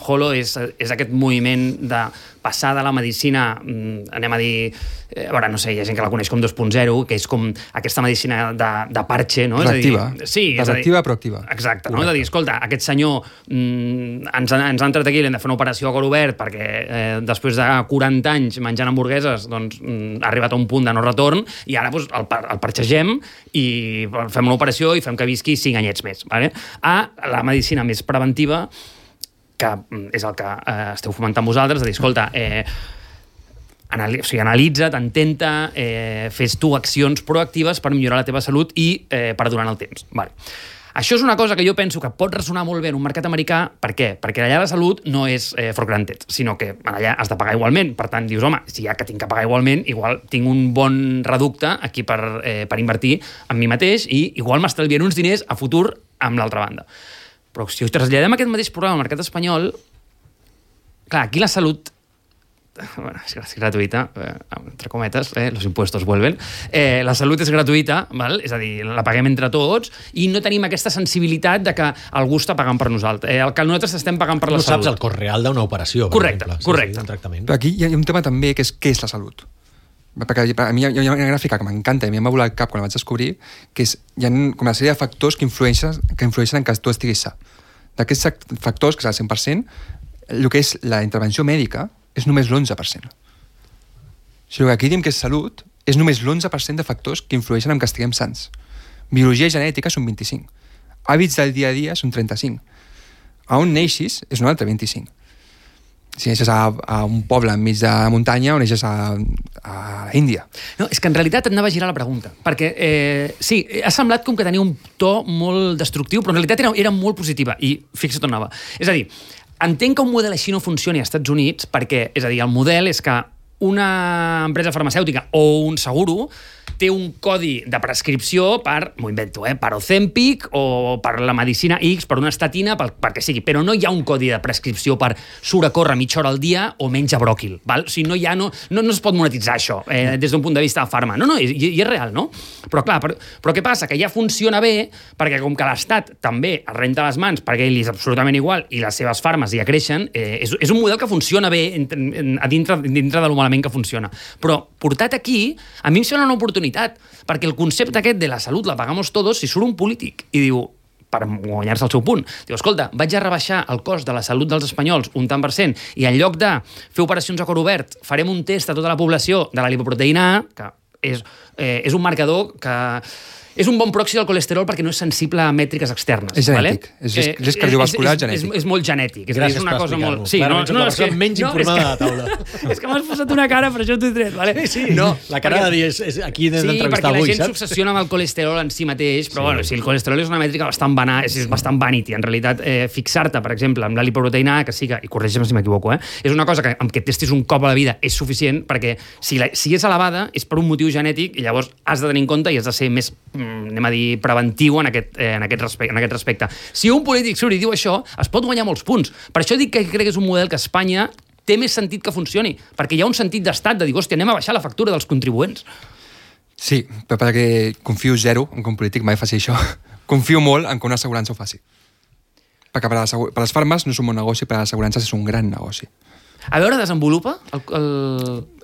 Holo és aquest moviment de passar de la medicina, anem a dir, a veure, no sé, hi ha gent que la coneix com 2.0, que és com aquesta medicina de parche, no? Reactiva. Sí, reactiva, proactiva. Exacte, no? És a dir, escolta, aquest senyor ens ha entrat aquí, l'hem de fer una operació a cor obert perquè després de 40 anys menjant hamburgueses doncs, ha arribat a un punt de no retorn i ara doncs, el parxegem i fem una operació i fem que visqui 5 anyets més. Vale? A la medicina més preventiva, que és el que esteu fomentant vosaltres, de dir, escolta, analitza't, intenta, fes tu accions proactives per millorar la teva salut i perdurar en el temps. Vale. Això és una cosa que jo penso que pot ressonar molt bé en un mercat americà. Per què? Perquè allà la salut no és for granted, sinó que allà has de pagar igualment. Per tant, dius, home, si ja que tinc que pagar igualment, igual tinc un bon reducte aquí per invertir en mi mateix i igual m'estalviaré uns diners a futur amb l'altra banda. Però si traslladem aquest mateix programa al mercat espanyol, clar, aquí la salut, bueno, és gratuïta, entre cometes, los impuestos vuelven, la salut és gratuïta, val? És a dir, la paguem entre tots i no tenim aquesta sensibilitat de que algú està pagant per nosaltres, el que nosaltres estem pagant per la salut. No saps el cost real d'una operació, per exemple. Correcte. Sí, un tractament. Però aquí hi ha un tema també que és què és la salut. Perquè a mi hi ha una gràfica que m'encanta i a mi em va volar el cap quan la vaig descobrir, que és, hi ha com una sèrie de factors que influeixen en que tu estiguis sa. D'aquests factors, que és el 100%, el que és la intervenció mèdica és només l'11%. Si el que aquí diem que és salut, és només l'11% de factors que influeixen en que estiguem sants. Biologia i genètica són 25. Hàbits del dia a dia són 35. A on neixis és un altre 25. Si neixes a un poble enmig de la muntanya o neixes a l'Índia. No, és que en realitat et anava a girar la pregunta, perquè sí, ha semblat com que tenia un to molt destructiu, però en realitat era molt positiva, i fixa't on anava. És a dir, entenc que un model així no funcioni als Estats Units perquè, és a dir, el model és que una empresa farmacèutica o un seguro té un codi de prescripció per, m'ho invento, per Ozempic o per la medicina X, per una estatina, perquè sigui, però no hi ha un codi de prescripció per surt a córrer mitja hora al dia o menja bròquil, val? O sigui, no es pot monetitzar això des d'un punt de vista de farma. No, i és real, no? Però clar, però què passa? Que ja funciona bé perquè com que l'Estat també es renta les mans perquè ell és absolutament igual i les seves farmes ja creixen, és un model que funciona bé a dintre de lo malament que funciona. Però portat aquí, a mi em sembla una oportunitat, perquè el concepte aquest de la salut la pagamos todos, si surt un polític i diu, per guanyar-se el seu punt, diu, escolta, vaig a rebaixar el cost de la salut dels espanyols un tant %, i en lloc de fer operacions a cor obert, farem un test a tota la població de la lipoproteïna A, que és un marcador que és un bon proxy del colesterol perquè no és sensible a mètriques externes. És genètic. Vale? És cardiovascular genètic. És molt genètic. Gràcies és una per cosa molt... Sí, no, és que menys informada de la taula. És que m'has posat una cara, per això t'ho he tret. Vale? Sí. No, la cara de dir, és aquí hem d'entrevistar avui, saps? Sí, perquè la gent s'obsessiona amb el colesterol en si mateix, però bueno, si el colesterol és una mètrica bastant és bastant vanity. En realitat, fixar-te, per exemple, amb la lipoproteïna A, que sí que, i corregeix-me si m'equivoco, és una cosa que amb que et testis un cop a la vida és suficient, perquè si és elevada és per un motiu genètic i llavors has de tenir en compte i has de ser més, anem a dir, preventiu en aquest respecte. Si un polític surt i diu això, es pot guanyar molts punts. Per això dic que crec que és un model que a Espanya té més sentit que funcioni, perquè hi ha un sentit d'estat de dir, hòstia, anem a baixar la factura dels contribuents. Sí, però perquè confio zero en que un polític mai faci això. Confio molt en que una assegurança ho faci. Perquè per les farmes no és un bon negoci, per les assegurances és un gran negoci. A veure, desenvolupa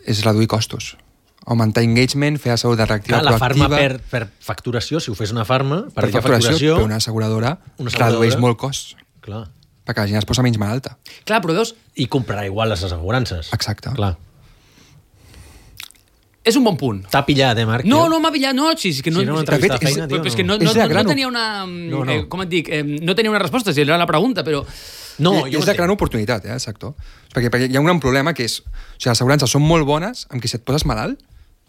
És reduir costos. Augmentar engagement, fer la salut reactiva proactiva. La farma per facturació, si ho fes una farma, per facturació, però una asseguradora redueix molt cost. Clar. Perquè la gent es posa menys malalta. Clar, però veus... I comprarà igual les assegurances. Exacte. Clar. És un bon punt. T'ha pillat, Marc? No, m'ha pillat, no. Sí, és que no, si no m'entrevista de feina, tio, és que no tenia una... Com et dic? No tenia una resposta, si era la pregunta, però... No, és la gran oportunitat, el sector. Perquè hi ha un gran problema que és... O sigui, les assegurances són molt bones, amb que si et poses malalt,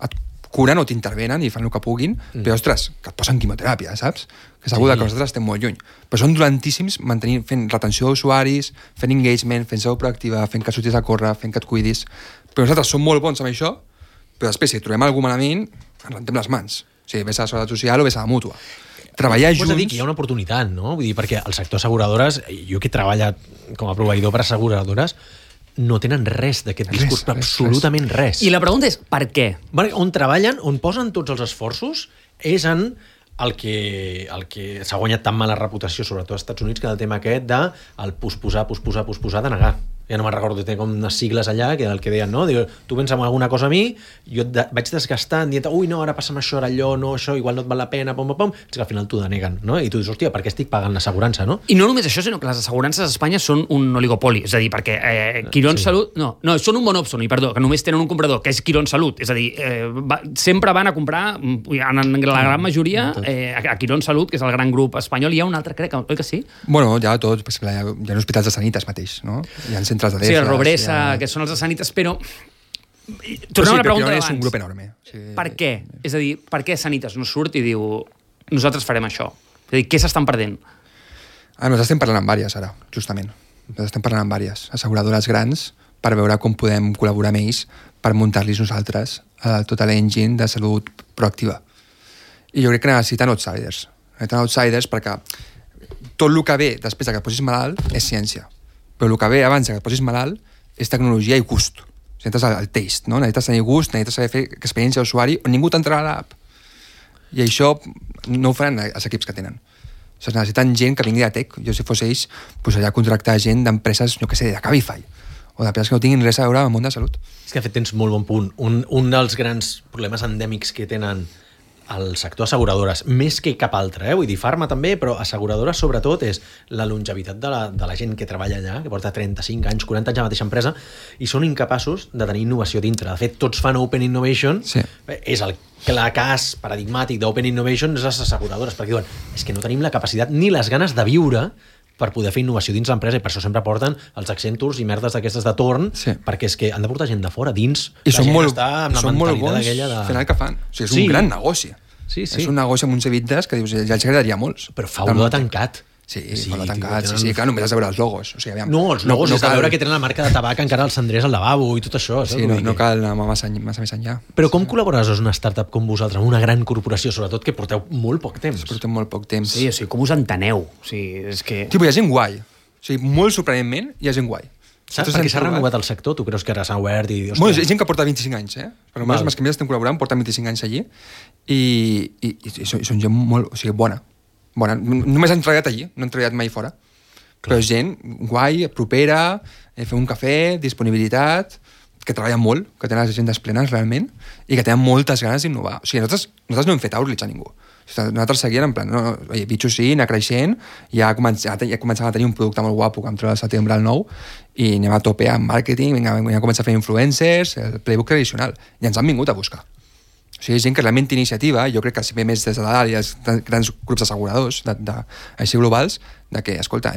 et curen o t'intervenen i fan el que puguin, però, ostres, que et posen quimioteràpia, saps? Que segur que nosaltres estem molt lluny. Però són dolentíssims fent retenció d'usuaris, fent engagement, fent salut proactiva, fent que surtis a córrer, fent que et cuidis. Però nosaltres som molt bons amb això, però després, si trobem algú malament, ens rentem les mans. O sigui, ves a la Seguretat Social o ves a la Mútua. Treballar junts... Pots dir que hi ha una oportunitat, no? Vull dir, perquè el sector asseguradores, jo que he treballat com a proveïdor per asseguradores, no tenen res d'aquest discurs, absolutament res. I la pregunta és, per què? On treballen, on posen tots els esforços, és en el que s'ha guanyat tan mala reputació, sobretot als Estats Units, que el tema aquest de el posposar, de negar. Ja no me'n recordo, té com unes sigles allà, que el que deien, no? Diu, tu vens amb alguna cosa a mi, jo vaig desgastant, dient, ui, no, ara passa'm això, ara allò, no, això, igual no et val la pena, és que al final t'ho deneguen, no? I tu dius, hòstia, per què estic pagant l'assegurança, no? I no només això, sinó que les assegurances a Espanya són un oligopoli, és a dir, perquè Quirón Salut... No, són un monòpsoni, perdó, que només tenen un comprador, que és Quirón Salut, és a dir, sempre van a comprar, en la gran majoria, a Quirón Salut, que és el gran grup espanyol, hi ha un altre, crec, oi que sí? Bueno, ja tot, hi ha hospitals de Sanitas mateix, no? Hi ha centres de sí, el Robresa, que són els de Sanitas, però... Tornem a la pregunta d'abans. És un grup enorme. Sí. Per què? És a dir, per què Sanitas no surt i diu nosaltres farem això? És a dir, què s'estan perdent? Nosaltres estem parlant amb vàries, ara, justament. Nosaltres estem parlant amb vàries asseguradores grans per veure com podem col·laborar amb ells per muntar-los nosaltres tota l'engine de salut proactiva. I jo crec que necessiten outsiders. Necessiten outsiders perquè tot el que ve després que et posis malalt és ciència. Però el que ve abans que et posis malalt és tecnologia i gust. Necessites el taste, no? Necessites tenir gust, necessites saber fer experiència d'usuari on ningú t'entrarà a l'app. I això no ho faran els equips que tenen. O sigui, necessiten gent que vingui de tech. Jo, si fos ells, posaria a contractar gent d'empreses, no sé, de Cabify, o d'empreses que no tinguin res a veure amb el món de salut. És que, de fet, tens molt bon punt. Un dels grans problemes endèmics que tenen el sector asseguradores, més que cap altre, vull dir, farma també, però asseguradores sobretot és la longevitat de la gent que treballa allà, que porta 35 anys, 40 anys a la mateixa empresa, i són incapaços de tenir innovació dintre. De fet, tots fan Open Innovation, és el clar cas paradigmàtic d'Open Innovation és les asseguradores, perquè diuen, és que no tenim la capacitat ni les ganes de viure per poder fer innovació dins l'empresa, i per això sempre porten els Accentures i merdes d'aquestes de torn, perquè és que han de portar gent de fora, dins. I són molt bons fent el que fan. O sigui, és un gran negoci. Sí. És un negoci amb uns EBITDA que dius, ja els agradaria molts. Però fa olor de tancat. Sí, tancat, sí, clar, només has de veure els logos. O sigui, aviam, els logos és de veure que tenen la marca de tabac encara als cendrers al lavabo i tot això. Sí, no cal anar massa més enllà. Però com col·laboraràs amb una startup com vosaltres, amb una gran corporació, sobretot que porteu molt poc temps? Portem molt poc temps. Sí, o sigui, com us enteneu? O sigui, és que... Tipo, hi ha gent guai. O sigui, molt sorprenentment, hi ha gent guai. Saps? Perquè s'ha renovat el sector, tu creus que ara s'ha obert i... Bueno, és gent que porta 25 anys, Per almenys amb els que més estem col·laborant porten 25 anys allí i són gent molt... O sigui, bona. Només han treballat allí, no han treballat mai fora. Però és gent guai, propera, fer un cafè, disponibilitat, que treballen molt, que tenen les agendes plenes realment i que tenen moltes ganes d'innovar. O sigui, nosaltres no hem fet outreach a ningú. Nosaltres seguíem en plan, oye, bitxo sí, anar creixent, ja començàvem a tenir un producte molt guapo que vam treure al setembre al 9 i anem a tope amb màrqueting, vam començar a fer influencers, el playbook tradicional, i ens han vingut a buscar. O sigui, gent que realment té iniciativa, jo crec que si ve més des de dalt i els grans grups asseguradors així globals, de que, escolta,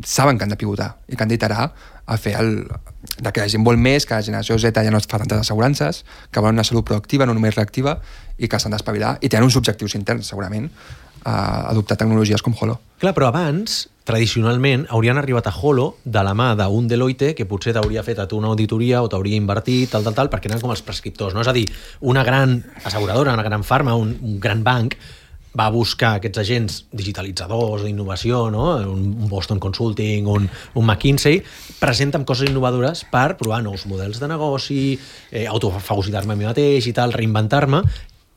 saben que han de pivotar i que han d'iterar a fer de que la gent vol més, que la generació Z ja no fa tantes assegurances, que volen una salut proactiva, no només reactiva, i que s'han d'espavilar, i tenen uns objectius interns, segurament, a adoptar tecnologies com Holo. Clar, però abans, tradicionalment, haurien arribat a Holo de la mà d'un Deloitte que potser t'hauria fet a tu una auditoria o t'hauria invertit, tal, perquè eren com els prescriptors, no? És a dir, una gran asseguradora, una gran farma, un gran banc, va buscar aquests agents digitalitzadors d'innovació, no? Un Boston Consulting, un McKinsey, presenten coses innovadores per provar nous models de negoci, autofagocitar-me a mi mateix i tal, reinventar-me,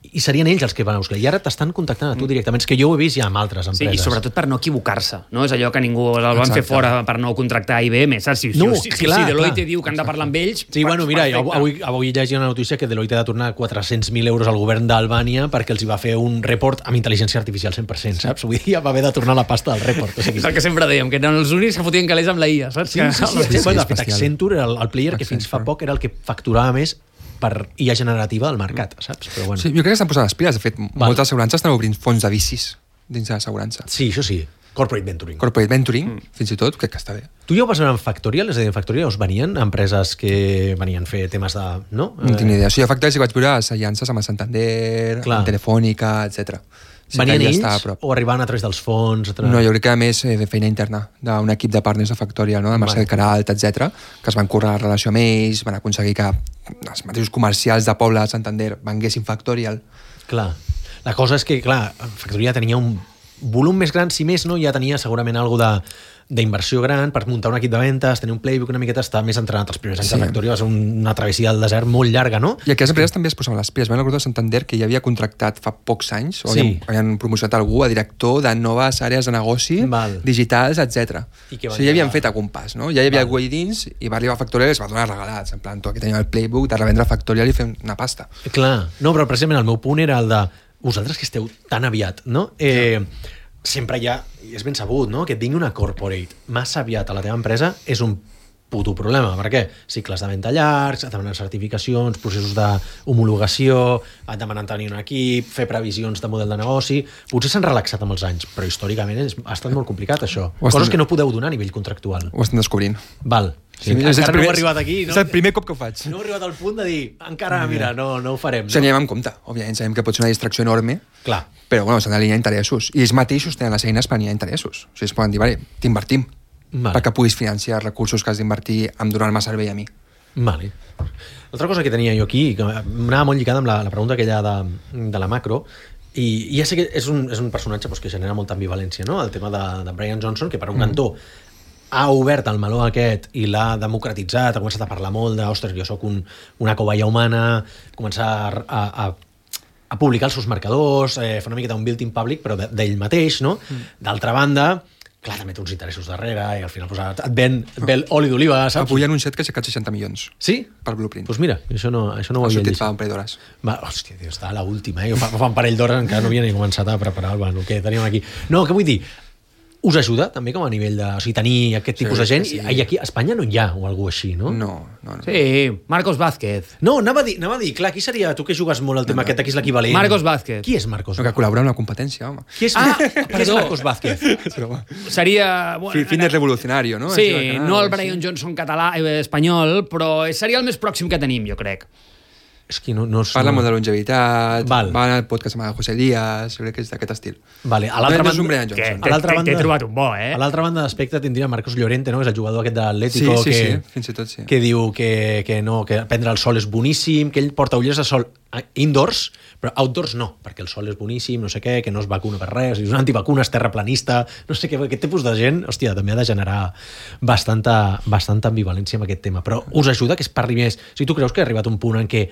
i serien ells els que van a buscar. I ara t'estan contactant a tu directament. És que jo ho he vist ja amb altres empreses. Sí, i sobretot per no equivocar-se. No? És allò que ningú el van fer fora per no contractar IBM. Saps? Si Deloitte diu que han de parlar amb ells... Sí, bueno, mira, avui llegia una notícia que Deloitte ha de tornar 400.000 euros al govern d'Albània perquè els hi va fer un report amb intel·ligència artificial 100%, saps? Vull dir, va haver de tornar la pasta del report. O sigui, és el que sempre dèiem, que eren els únics que fotien calés amb la IA, saps? Sí. De fet, Accenture, el player que fins fa poc era el que facturava més per IA generativa del mercat, saps? Però bueno. Sí, jo crec que estan posant les piles. De fet, moltes assegurances estan obrint fons de vicis dins de l'assegurança. Sí, això sí. Corporate venturing. Fins i tot, crec que està bé. Tu ja ho vas veure en Factorial? És a dir, en Factorial us venien empreses que venien a fer temes de... No tinc ni idea. O sigui, a Factorial sí que vaig veure les aliances amb el Santander, amb Telefònica, etc. Sí, venien ells o arribaven a través dels fons? No, jo crec que a més de feina interna d'un equip de partners de Factorial, no? De Marcel Queralt, etc, que es van currar la relació amb ells, van aconseguir que els mateixos comercials de poble de Santander venguessin Factorial. Clar. La cosa és que, clar, Factorial tenia un volum més gran, si més no, ja tenia segurament alguna d'inversió gran per muntar un equip de ventes, tenir un playbook una miqueta, estar més entrenat els primers anys de Factorial, va ser una travessia del desert molt llarga, no? I aquelles empreses també es posaven les piles. Vam recordar Santander que ja havia contractat fa pocs anys, o havien promocionat algú a director de noves àrees de negoci, digitals, etc. O sigui, ja havien fet algun pas, no? Ja hi havia algú allà dins i va arribar a Factorial i es va donar regalats, en plan, tu aquí teniu el playbook de revendre Factorial i fer una pasta. Clar, no, però precisament el meu punt era el de vosaltres que esteu tan aviat, no? Sempre hi ha, i és ben sabut, no? Que et vingui una corporate massa aviat a la teva empresa és un puto problema. Per què? Cicles de venda llargs, et demanen certificacions, processos d'homologació, et demanen tenir un equip, fer previsions de model de negoci... Potser s'han relaxat amb els anys, però històricament ha estat molt complicat, això. Coses que no podeu donar a nivell contractual. Ho estem descobrint. Val. Sí, encara no he arribat aquí. És el primer cop que ho faig. No he arribat al punt de dir, encara, mira, no ho farem. O sigui, anem amb compte. Òbviament, sabem que pot ser una distracció enorme, clar, però bueno, s'han d'alinear interessos. I ells mateixos tenen les eines per alinear interessos. O sigui, es poden dir, vale, t'invertim, perquè puguis financiar recursos que has d'invertir en donar-me servei a mi. Vale. L'altra cosa que tenia jo aquí, que m'anava molt lligada amb la pregunta aquella de la macro, i ja sé que és un personatge que genera molta ambivalència, no? El tema de Brian Johnson, que per un cantó ha obert el meló aquest i l'ha democratitzat, ha començat a parlar molt de, ostres, jo sóc una cobaya humana, començar a publicar els seus marcadors, fer una miqueta un built-in public, però d'ell mateix, no? D'altra banda, clar, també té uns interessos darrere i al final pues, et ven oli d'oliva, saps? Avui han anunciat que ha aixecat 60 milions. Sí? Per Blueprint. Doncs mira, això no ho Ha havia sortit llegit. fa un parell d'hores. Hòstia, tio, està a l'última, Jo fa un parell d'hores encara no havia ni començat a preparar el que teníem aquí. No, què vull dir? Us ajuda també com a nivell de... O sigui, tenir aquest tipus de gent? sí. I aquí a Espanya no hi ha o algú així, no? No. Sí, Marcos Vázquez. No, anava a dir, clar, qui seria... Tu que jugues molt el tema aquest, aquí és l'equivalent. Marcos Vázquez. Qui és Marcos No, que col·labora amb la competència, home. Qui és, qui és Marcos Vázquez? Seria... Fitness revolucionario, no? Sí, Així, no el sí. Brian Johnson català, espanyol, però seria el més pròxim que tenim, jo crec. És que no Parla molt de longevitat, Val. va al podcast amb el José Díaz, jo crec que és d'aquest estil. Vale, a l'altra No és un banda... Brian Johnson. A l'altra banda... T'he trobat un bo, eh? A l'altra banda d'espectre tindria Marcos Llorente, no? És el jugador aquest de l'Atlético Sí, que, fins i tot sí. que diu que no, que prendre el sol és boníssim, que ell porta ulleres de sol indoors, però outdoors no, perquè el sol és boníssim, no sé què, que no es vacuna per res, és un antivacuna, és terraplanista, no sé què, aquest tipus de gent, hòstia, també ha de generar bastanta ambivalència amb aquest tema, però us ajuda que es parli més. O sigui, tu creus que ha arribat un punt en què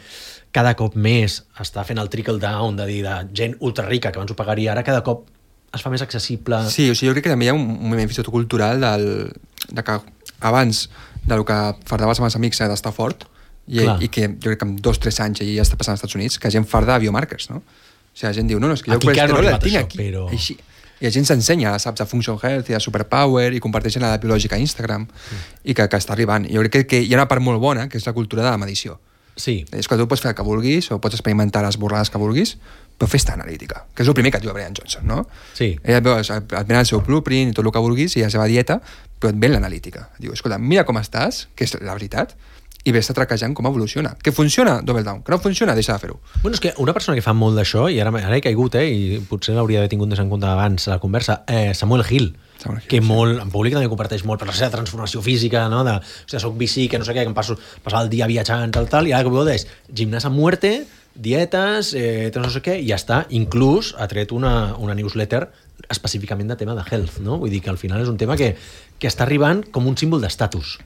cada cop més està fent el trickle down de dir de gent ultra rica que abans ho pagaria, ara cada cop es fa més accessible... Sí, o sigui, jo crec que també hi ha un moviment fins i tot cultural de que abans del que fardaves amb els amics d'estar fort i que jo crec que en 2-3 anys ja està passant als Estats Units, que la gent farda biomarkers, no? O sigui, la gent diu, no, és que jo Aquí el encara no ha colesterol el arribat tinc això, aquí, però- així. I la gent s'ensenya, saps, de Function Health i de Superpower i comparteixen la biològica a Instagram i que està arribant. I jo crec que hi ha una part molt bona, que és la cultura de la medició. Sí, És que tu pots fer el que vulguis o pots experimentar les borrades que vulguis, però fes-te analítica, que és el primer que et diu Brian Johnson, no? Sí. Ell et ven el seu blueprint i tot el que vulguis i la seva dieta, però et ven l'analítica. Diu, escolta, mira com estàs, que és la veritat, i vés-te traquejant com evoluciona. Que funciona, double down. Que no funciona, deixa de fer-ho. Bueno, és que una persona que fa molt d'això, i ara he caigut, i potser l'hauria d'haver tingut més en compte abans a la conversa, Samuel Hill, Samuel Hill, que sí. molt, en públic també comparteix molt per la seva transformació física, no? De, o sigui, soc bici, que no sé què, que em passava el dia viatjant, tal, i ara que és gimnàs a muerte, dietes, no sé què, i ja està. Inclús ha tret una newsletter específicament de tema de health, no? Vull dir que al final és un tema que està arribant com un símbol d'estatus.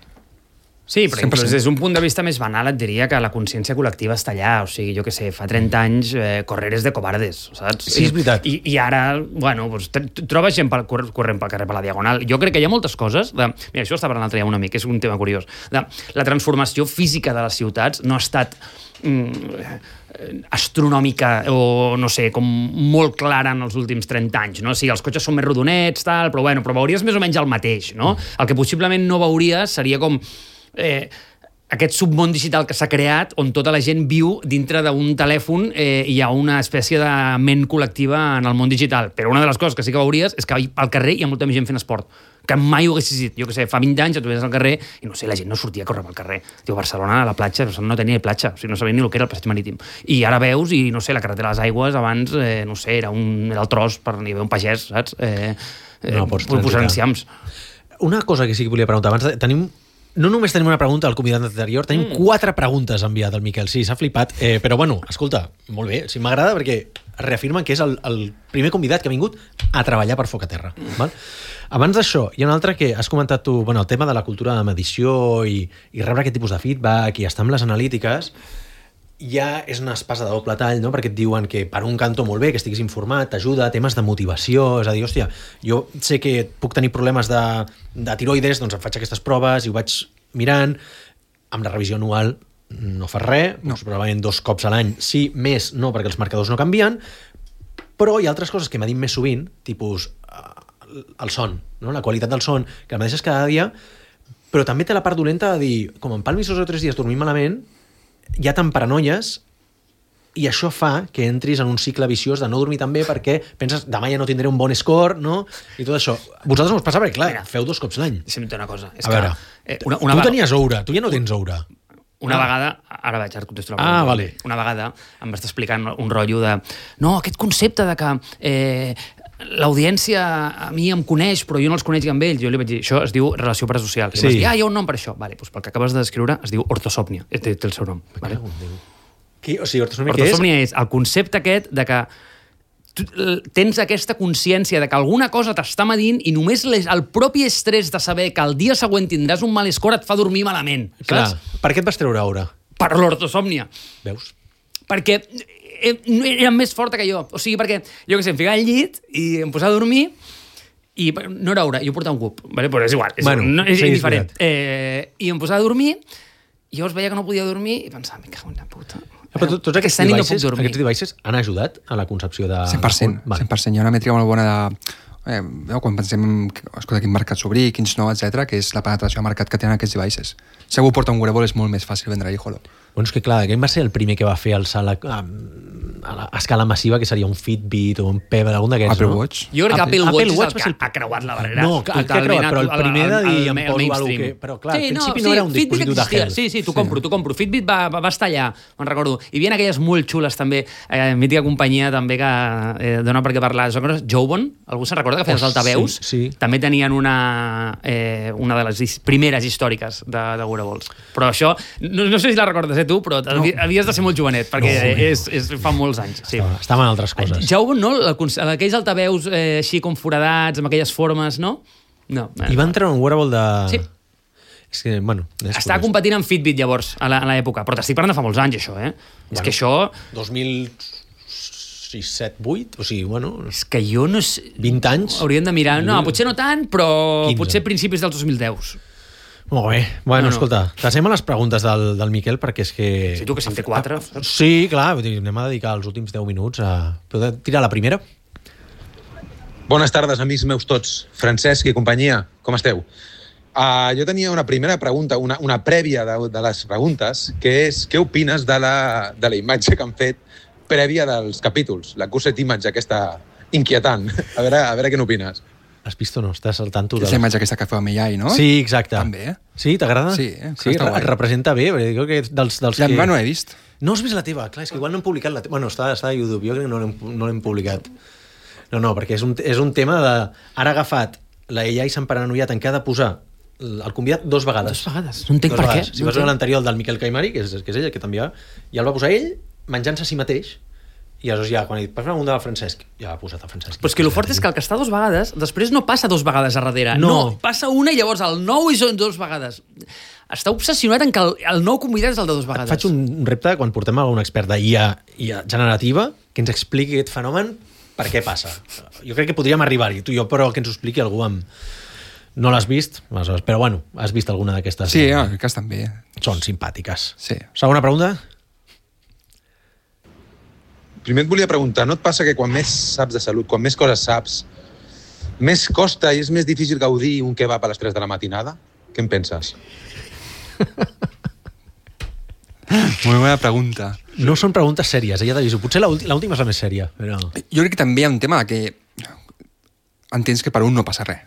Sí, però 100%. inclús des d'un punt de vista més banal et diria que la consciència col·lectiva està allà. O sigui, jo què sé, fa 30 anys correr és de covardes, saps? Sí, és veritat. I ara, bueno, doncs, trobes gent corrent pel carrer per la Diagonal. Jo crec que hi ha moltes coses... Mira, això estava parlant l'altre dia amb un amic, és un tema curiós. La transformació física de les ciutats no ha estat astronòmica o, no sé, com molt clara en els últims 30 anys, no? O sigui, els cotxes són més rodonets, tal, però veuries més o menys el mateix, no? El que possiblement no veuries seria com aquest submón digital que s'ha creat on tota la gent viu dintre d'un telèfon i hi ha una espècie de ment col·lectiva en el món digital. Però una de les coses que sí que veuries és que al carrer hi ha molta més gent fent esport que mai ho haguessis dit. Jo què sé, fa 20 anys et veies al carrer i no sé, la gent no sortia a córrer pel carrer. Diu, Barcelona, a la platja, no tenia ni platja, o sigui, no sabia ni el que era el passeig marítim. I ara veus, i no sé, la carretera de les Aigües abans, no sé, era el tros per hi haver un pagès, saps? No pots posant transitar. enciams. Una cosa que sí que volia preguntar abans, no només tenim una pregunta al convidat anterior, tenim 4 preguntes enviat al Miquel. Sí, s'ha flipat, però bueno, escolta, molt bé, sí, m'agrada perquè reafirmen que és el primer convidat que ha vingut a treballar per Foc a Terra. Val? Abans d'això, hi ha un altre que has comentat tu, bueno, el tema de la cultura de medició i rebre aquest tipus de feedback i estar amb les analítiques, ja és una espasa de doble tall, no? Perquè et diuen que per un cantó molt bé, que estiguis informat, t'ajuda, temes de motivació, és a dir, hòstia, jo sé que puc tenir problemes de tiroides, doncs em faig aquestes proves i ho vaig mirant, amb la revisió anual no fas res, no. Probablement 2 cops a l'any, sí, més no, perquè els marcadors no canvien, però hi ha altres coses que m'ha dit més sovint, tipus el son, no? La qualitat del son, que el mateix és cada dia, però també té la part dolenta de dir, com em palmis 2 o 3 dies dormint malament, ja te'n paranoies i això fa que entris en un cicle viciós de no dormir tan bé perquè penses demà ja no tindré un bon score, no? I tot això. Vosaltres no us passa perquè, clar, Mira, feu 2 cops l'any. Deixa'm dir una cosa. És A veure, una tu tenies oura, tu ja no tens oura. Una vegada, ara vaig, ara contesto la pregunta. Vale. Una vegada em vas explicant un rotllo de no, aquest concepte de que l'audiència a mi em coneix però jo no els conec amb ells. Jo li vaig dir, això es diu relació parasocial. I sí. Vas dir, hi ha un nom per això. Vale, doncs pel que acabes de descriure es diu ortosòpnia. Té el seu nom. Vale? O sigui, ortosòpnia què és? Ortosòpnia és el concepte aquest de que tu tens aquesta consciència de que alguna cosa t'està medint i només el propi estrès de saber que el dia següent tindràs un mal score et fa dormir malament. Clar, saps? per què et vas treure aura? Per l'ortosòmnia. Veus? Perquè era més forta que jo. O sigui, perquè, jo què sé, em ficava al llit i em posava a dormir I no era hora, jo portava un cub, vale? Però és igual, és sí, indiferent. I em posava a dormir, i llavors veia que no podia dormir i pensava, me cago en la puta. Però tots aquests devices han ajudat a la concepció de... 100%, 100%. Hi ha una mètrica molt bona de... quan pensem, escolta, quin mercat s'obrir, quins no, etc, que és la penetració de mercat que tenen aquests devices. Si algú porta un wearable és molt més fàcil vendre-hi, Holo. Bueno, és que clar, aquest va ser el primer que va fer alçar a escala massiva, que seria un Fitbit o un Pebble, algun d'aquests, Apple no? Watch. Jo crec que Apple Watch és el que ha creuat la barrera. No, que ha creuat, però el primer de dir em poso alguna que... Però clar, al principi no era un dispositiu de health. Sí, t'ho compro. Fitbit va estar allà, me'n recordo. Hi havia aquelles molt xules també, mítica companyia també que dona per què parlar. Jobon, algú se'n recorda que feia els altaveus? Sí. També tenien una de les primeres històriques de wearables. Però això, no sé si la recordes, tu, però havies de ser molt jovenet, perquè fa molts anys. Sí. Estava en altres coses. Jobon, no? Aquells altaveus així com foradats, amb aquelles formes, no? No. I van treure un wearable de... Sí. És que, bueno... Estava competint amb Fitbit, llavors, a l'època. Però t'estic parlant de fa molts anys, això, És que això... 2006, 7, 8? O sigui, bueno... És que jo no sé... 20 anys? Hauríem de mirar... No, potser no tant, però 15. Potser principis dels 2010. Molt bé. Bueno, escolta, passem a les preguntes del Miquel, perquè és que... Sí, tu que se'n té 4. Sí, clar, anem a dedicar els últims 10 minuts a... Podeu tirar la primera? Bones tardes, amics meus tots. Francesc i companyia, com esteu? Jo tenia una primera pregunta, una prèvia de les preguntes, que és què opines de la imatge que han fet prèvia dels capítols, la Cuset Image aquesta inquietant. A veure què n'opines. Has vist o no? Estàs al tanto És la imatge aquesta que feu amb AI, no? Sí, exacte. També, Sí, t'agrada? Sí, et representa bé. Crec que dels la que... meva no he vist. No has vist la teva? Clar, és que igual no hem publicat la teva. Bueno, està a YouTube, jo crec que no l'hem publicat. No, perquè és un tema de... Ara ha agafat la AI s'han paranoiat en què ha de posar el convidat 2 vegades. 2 vegades. No entenc per què. Si vas veure l'anterior, el del Miquel Caimari, que és ell, el que t'enviava, ja el va posar ell menjant-se a si mateix. I aleshores ja, quan he dit, per una del Francesc, ja l'ha posat el Francesc. Però és que el fort és que el que està 2 vegades, després no passa 2 vegades a darrere. No, passa una i llavors el nou i són 2 vegades. Està obsessionat en que el nou convidat és el de 2 vegades. Faig un repte quan portem a un expert d'IA generativa que ens expliqui aquest fenomen, per què passa. Jo crec que podríem arribar-hi, tu i jo, però que ens ho expliqui algú amb... No l'has vist, però bueno, has vist alguna d'aquestes... Sí, crec que estan bé. Són simpàtiques. Sí. Segona pregunta? Primer et volia preguntar, no et passa que quan més saps de salut, quan més coses saps, més costa i és més difícil gaudir un kebab a les 3 de la matinada? Què en penses? Molt bona pregunta. No són preguntes sèries, ja t'aviso. Potser l'última és la més sèria. Però... Jo crec que també hi ha un tema que entens que per un no passa res.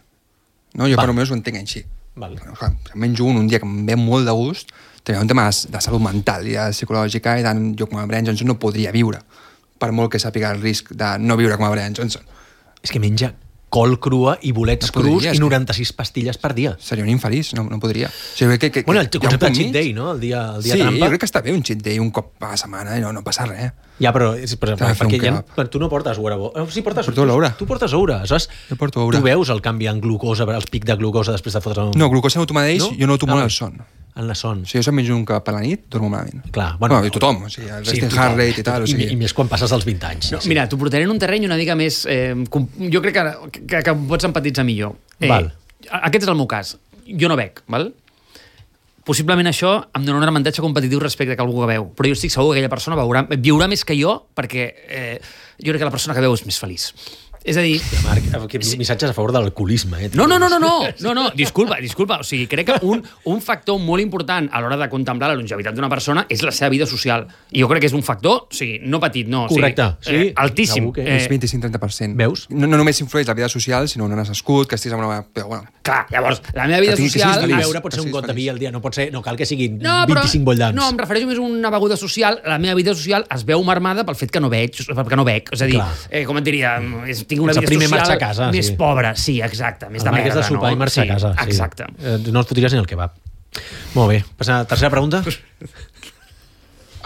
No? Jo per almenys ho entenc així. Val. Menjo un dia que em ve molt de gust, també hi ha un tema de salut mental i de psicològica, i tant jo com a Brian Johnson no podria viure, per molt que sàpiga el risc de no viure com a Brian Johnson. És que menja col crua i bolets crus i 96 pastilles per dia. Seria un infeliç, no podria. O sigui, bueno, el concepte de cheat day, no? El dia sí, trampa. Sí, jo crec que està bé un cheat day un cop a la setmana i no passa res. Ja, però perquè tu no portes wearable. Sí, porto l'Oura. Tu portes Oura. Jo porto Oura. Tu veus el canvi en glucosa, el pic de glucosa després de fotre... No, glucosa no tu mateix, jo noto molt el son. En la son. Si jo se'm menjo un cap a la nit, dormo malament. Clar, bueno, i tothom, o sigui, el resting heart rate i tal. O sigui... I més quan passes dels 20 anys. No, mira, t'ho portaré en un terreny una mica més... jo crec que pots empatitzar millor. Val. Aquest és el meu cas. Jo no bec, val? Possiblement això em dona un avantatge competitiu respecte a algú que veu, però jo estic segur que aquella persona viurà més que jo, perquè jo crec que la persona que veu és més feliç. És a dir... Marc, aquests missatges a favor de l'alcoholisme. No, disculpa. O sigui, crec que un factor molt important a l'hora de contemplar la longevitat d'una persona és la seva vida social. I jo crec que és un factor, o sigui, no petit, no. Correcte. O sigui, altíssim. És 25-30%. Veus? No només influeix la vida social, sinó on has nascut, que estiguis amb una... Però, bueno. Clar, llavors, la meva vida social... Beure pot ser un got de vi al dia, no cal que siguin 25 bollants. No, em refereixo més a una beguda social. La meva vida social es veu marmada pel fet que no bec. És a dir, com et diria, tinc una vida social a casa, més pobra. Sí, exacte. Més de merda, de sopar i marxar a casa. Exacte. No els fotries ni el kebab. Molt bé. Passa a la tercera pregunta.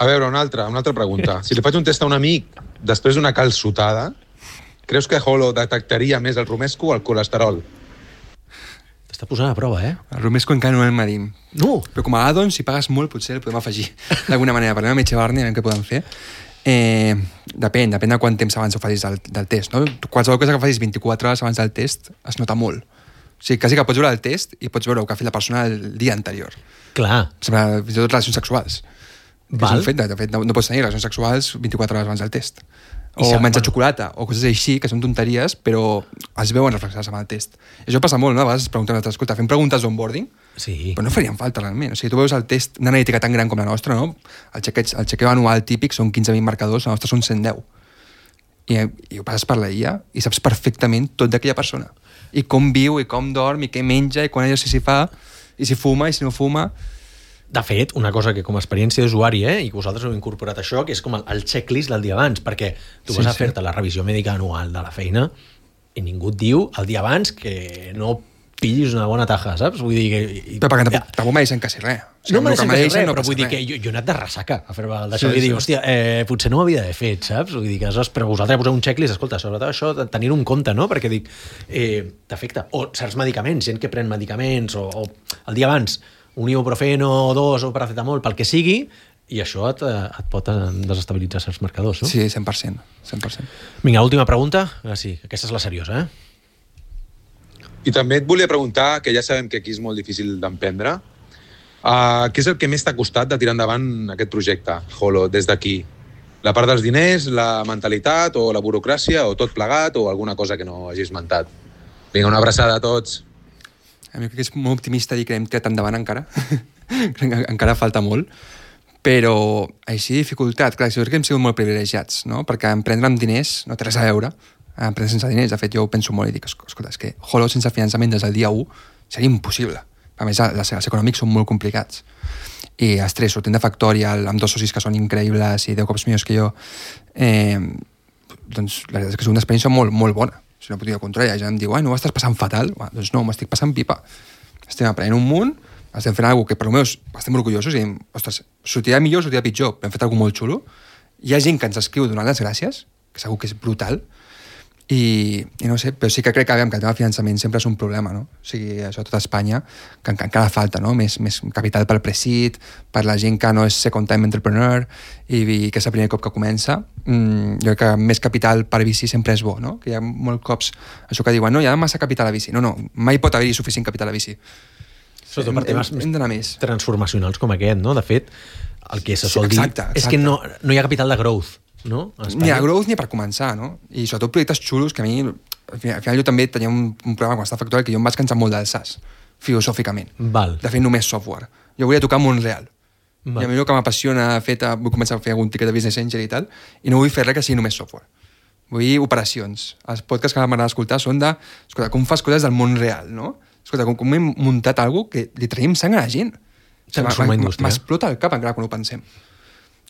A veure, una altra pregunta. Si li faig un test a un amic després d'una calçotada, creus que Holo detectaria més el romesco o el colesterol? T'està posant a prova, El romesco encara no el medim. No! Però com a add-on, si pagues molt, potser el podem afegir d'alguna manera. Parlem amb Echevarne, a veure què podem fer. Depèn de quant temps abans ho facis del test, no? Qualsevol cosa que facis 24 hores abans del test es nota molt. O sigui, quasi que pots veure el test i pots veure el que ha fet la persona el dia anterior. Clar. Sembla, fins i tot relacions sexuals. Val. És un fet, de fet, no pots tenir relacions sexuals 24 hores abans del test. I O menjar xocolata, o coses així, que són tonteries, però es veuen reflexades amb el test. I això passa molt, no? A vegades es pregunten, escolta, fem preguntes d'onboarding, Sí. però no farien falta realment. O sigui, tu veus el test, una analítica tan gran com la nostra, no? El xequeo anual típic són 15.000 marcadors, la nostra són 110. I ho passes per la IA i saps perfectament tot d'aquella persona. I com viu, i com dorm, i què menja, i quan exercici fa, i si fuma, i si no fuma. De fet, una cosa que com a experiència d'usuari, i que vosaltres heu incorporat això, que és com el checklist del dia abans, perquè tu vas a fer-te la revisió mèdica anual de la feina i ningú et diu el dia abans que no pillis una bona taja, saps? Vull dir que... Però perquè tampoc me deixen quasi res. O sigui, No me deixen quasi res, però passa vull dir que jo he anat de ressaca a fer d'això i dic, hòstia, potser no ho havia d'haver fet, saps? Vull dir que però vosaltres poseu un checklist, escolta, sobretot això, tenir-ho en compte, no? Perquè dic, t'afecta. O certs medicaments, gent que pren medicaments, o el dia abans, un ibuprofeno, 2 o paracetamol, pel que sigui, i això et pot desestabilitzar certs marcadors, no? Sí, 100%. 100%. Vinga, última pregunta. Ah, sí, aquesta és la seriosa, I també et volia preguntar, que ja sabem que aquí és molt difícil d'emprendre, què és el que més t'ha costat de tirar endavant aquest projecte, Holo, des d'aquí? La part dels diners, la mentalitat o la burocràcia o tot plegat o alguna cosa que no hagis esmentat? Vinga, una abraçada a tots. A mi crec que és molt optimista dir que hem tirat endavant encara. Encara falta molt. Però així dificultat, clar, jo crec que hem sigut molt privilegiats, no? Perquè emprendre amb diners no té res a veure. Emprendre sense diners, de fet, jo ho penso molt i dic, escolta, és que Holo sense finançament des del dia 1 seria impossible. A més, els econòmics són molt complicats. I estrès, sortint de Factorial, amb 2 socis que són increïbles i 10 cops millors que jo, doncs la veritat és que és una experiència molt, molt bona. Si no podria controlar, ja em diu, no ho estàs passant fatal? Doncs no, m'estic passant pipa. Estem aprenent un munt, estem fent alguna cosa que per almenys estem orgullosos i diem, ostres, sortirà millor o sortirà pitjor, però hem fet alguna molt xulo. Hi ha gent que ens escriu donant les gràcies, que segur que és brutal, i no sé, però sí que crec que el tema de finançament sempre és un problema, no? O sigui, això a tota Espanya, que encara falta, no? Més capital pel pre-seed, per la gent que no és second time entrepreneur i que és el primer cop que comença. Jo crec que més capital per VC sempre és bo, no? Que hi ha molts cops això que diuen, no, hi ha massa capital a VC. No, mai pot haver-hi suficient capital a VC. Sobretot per temes hem d'anar més transformacionals com aquest, no? De fet, el que se sol dir és que no hi ha capital de growth, no? Ni a growth ni per començar, no? I sobretot projectes xulos que a mi, al final jo també tenia un programa quan estava a Factorial que jo em vaig cansar molt del SaaS, filosòficament. Val. De fer només software. Jo volia tocar món real. Val. I a mi el que m'apassiona, vull començar a fer algun tiquet de business angel i tal, i no vull fer res que sigui només software. Vull operacions. Els podcasts que m'agrada escoltar són de, escolta, com fas coses del món real, no? Escolta, com hem muntat alguna cosa que li traiem sang a la gent. M'explota el cap encara quan ho pensem.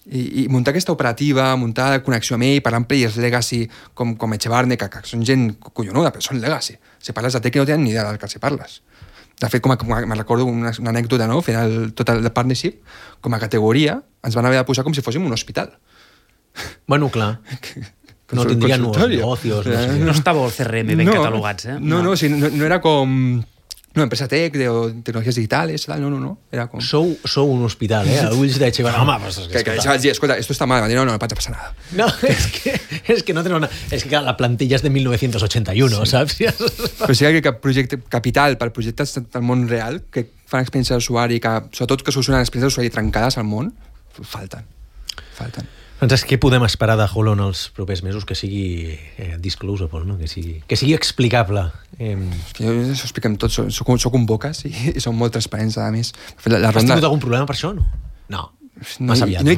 I muntar aquesta operativa, muntar connexió amb ell, parlar amb players legacy com Echevarne, que són gent collonuda, però són legacy. Si parles de tech no tenen ni idea del que si parles. De fet, me recordo una anècdota, no? Fent tot el partnership, com a categoria, ens van haver de posar com si fóssim un hospital. Bueno, clar. No tindrien nous negocios. No estava el CRM ben catalogats, No, era com... No, empresa tech, de tecnologies digitales, tal, no. Era com... Sou un hospital, a ulls de Echevarne. Home, pues que vaig dir, escolta, esto está mal. No vaig a passar nada. No, és que no tenen una... És que la plantilla és de 1981, sí. Saps? Però sí que projecte capital per projectes del món real, que fan experiència d'usuari, que sobretot que solucionen experiències d'usuari trencades al món, falten. Francesc, què podem esperar de Holo en els propers mesos que sigui disclosable, no? Que sigui explicable? Jo això ho expliquem tot, soc un bocas i som molt transparents, a més. Has tingut algun problema per això, no? No. Massa aviat, no? O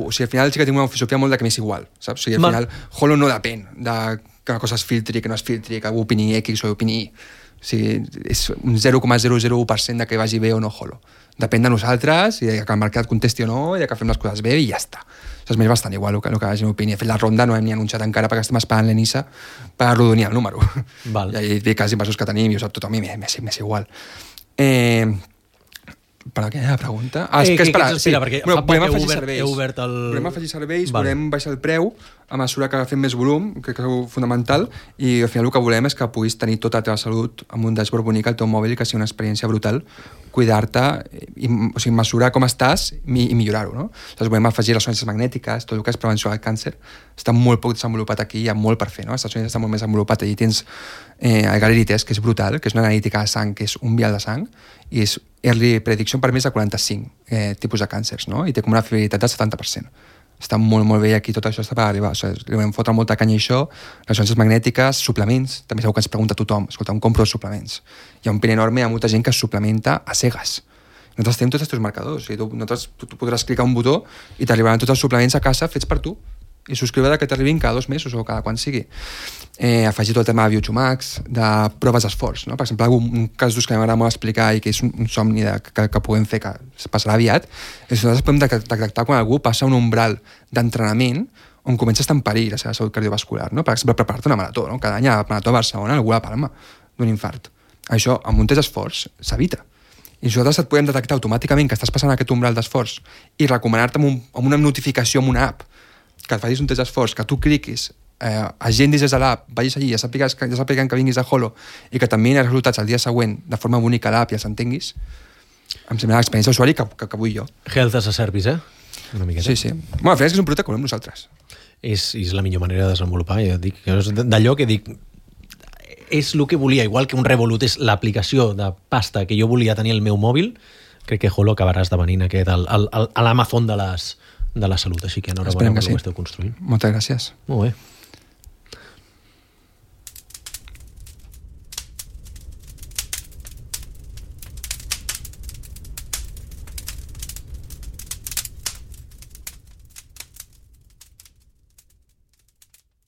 sigui, al final sí que tinc una filosofia molt de que m'és igual, saps? O sigui, al final, Holo no depèn de que una cosa es filtri, que no es filtri, que algú opini X o opini Y. O sigui, és un 0,001% de que vagi bé o no Holo. Depèn de nosaltres, i de que el mercat contesti o no, i de que fem les coses bé, i ja està. Això és més bastant igual el que la gent opini. De fet, la ronda no hem ni anunciat encara perquè estem esperant l'Enisa per arrodonir el número. Val. I dic els inversors que tenim, i ho sap tothom, i m'és igual. Per a què la pregunta? Què espera? Perquè fa poc heu obert el... Volem afegir serveis, volem baixar el preu a mesura que fem més volum, crec que és fonamental, i al final el que volem és que puguis tenir tota la teva salut amb un dashboard bonic al teu mòbil i que sigui una experiència brutal cuidar-te, o sigui, mesurar com estàs i millorar-ho, no? Llavors podem afegir ressonàncies magnètiques, tot el que és prevenció del càncer, està molt poc desenvolupat aquí, hi ha molt per fer, no? Els Estats Units està molt més desenvolupat, allí tens el Galleri Test, que és brutal, que és una analítica de sang, que és un vial de sang, i és early prediction per més de 45 tipus de càncers, no? I té com una fiabilitat del 70%. Està molt, molt bé, aquí tot això està per arribar. O sigui, li vam fotre molta canya a això, ressonàncies magnètiques, suplements, també segur que ens pregunta tothom, escolta, on compro els suplements? Hi ha un pin enorme, hi ha molta gent que es suplementa a cegues. Nosaltres tenim tots els teus marcadors, o sigui, tu podràs clicar un botó i t'arribaran tots els suplements a casa fets per tu, i subscriure que t'arribin cada 2 mesos o cada quan sigui. Afegir tot el tema de Biochumax, de proves d'esforç, no? Per exemple, un cas d'ús que m'agrada molt explicar i que és un somni que puguem fer, que passarà aviat, és que nosaltres podem detectar quan algú passa un umbral d'entrenament on comença a estar en perill la seva salut cardiovascular, no? Per exemple, preparar-te una marató, no? Cada any a la marató a Barcelona algú la palma d'un infart. Això, amb un test d'esforç, s'evita. I nosaltres et podem detectar automàticament que estàs passant aquest umbral d'esforç i recomanar-te amb una notificació amb una app que et facis un test d'esforç, que tu cliquis, agendis des de l'app, vagis allí, ja sàpiguen que vinguis a Holo i que t'enviïn els resultats el dia següent de forma única a l'app i els entenguis, em sembla l'experiència d'usuari que vull jo. Health as a service, Una miqueta. Sí, sí. Bueno, al final és que és un producte que volem nosaltres. És la millor manera de desenvolupar. Jo dic, d'allò que dic, és el que volia, igual que un Revolut és l'aplicació de pasta que jo volia tenir al meu mòbil, crec que Holo acabarà esdevenint aquest l'Amazon de la salut, així que enhorabona per el que esteu construint. Moltes gràcies. Molt bé.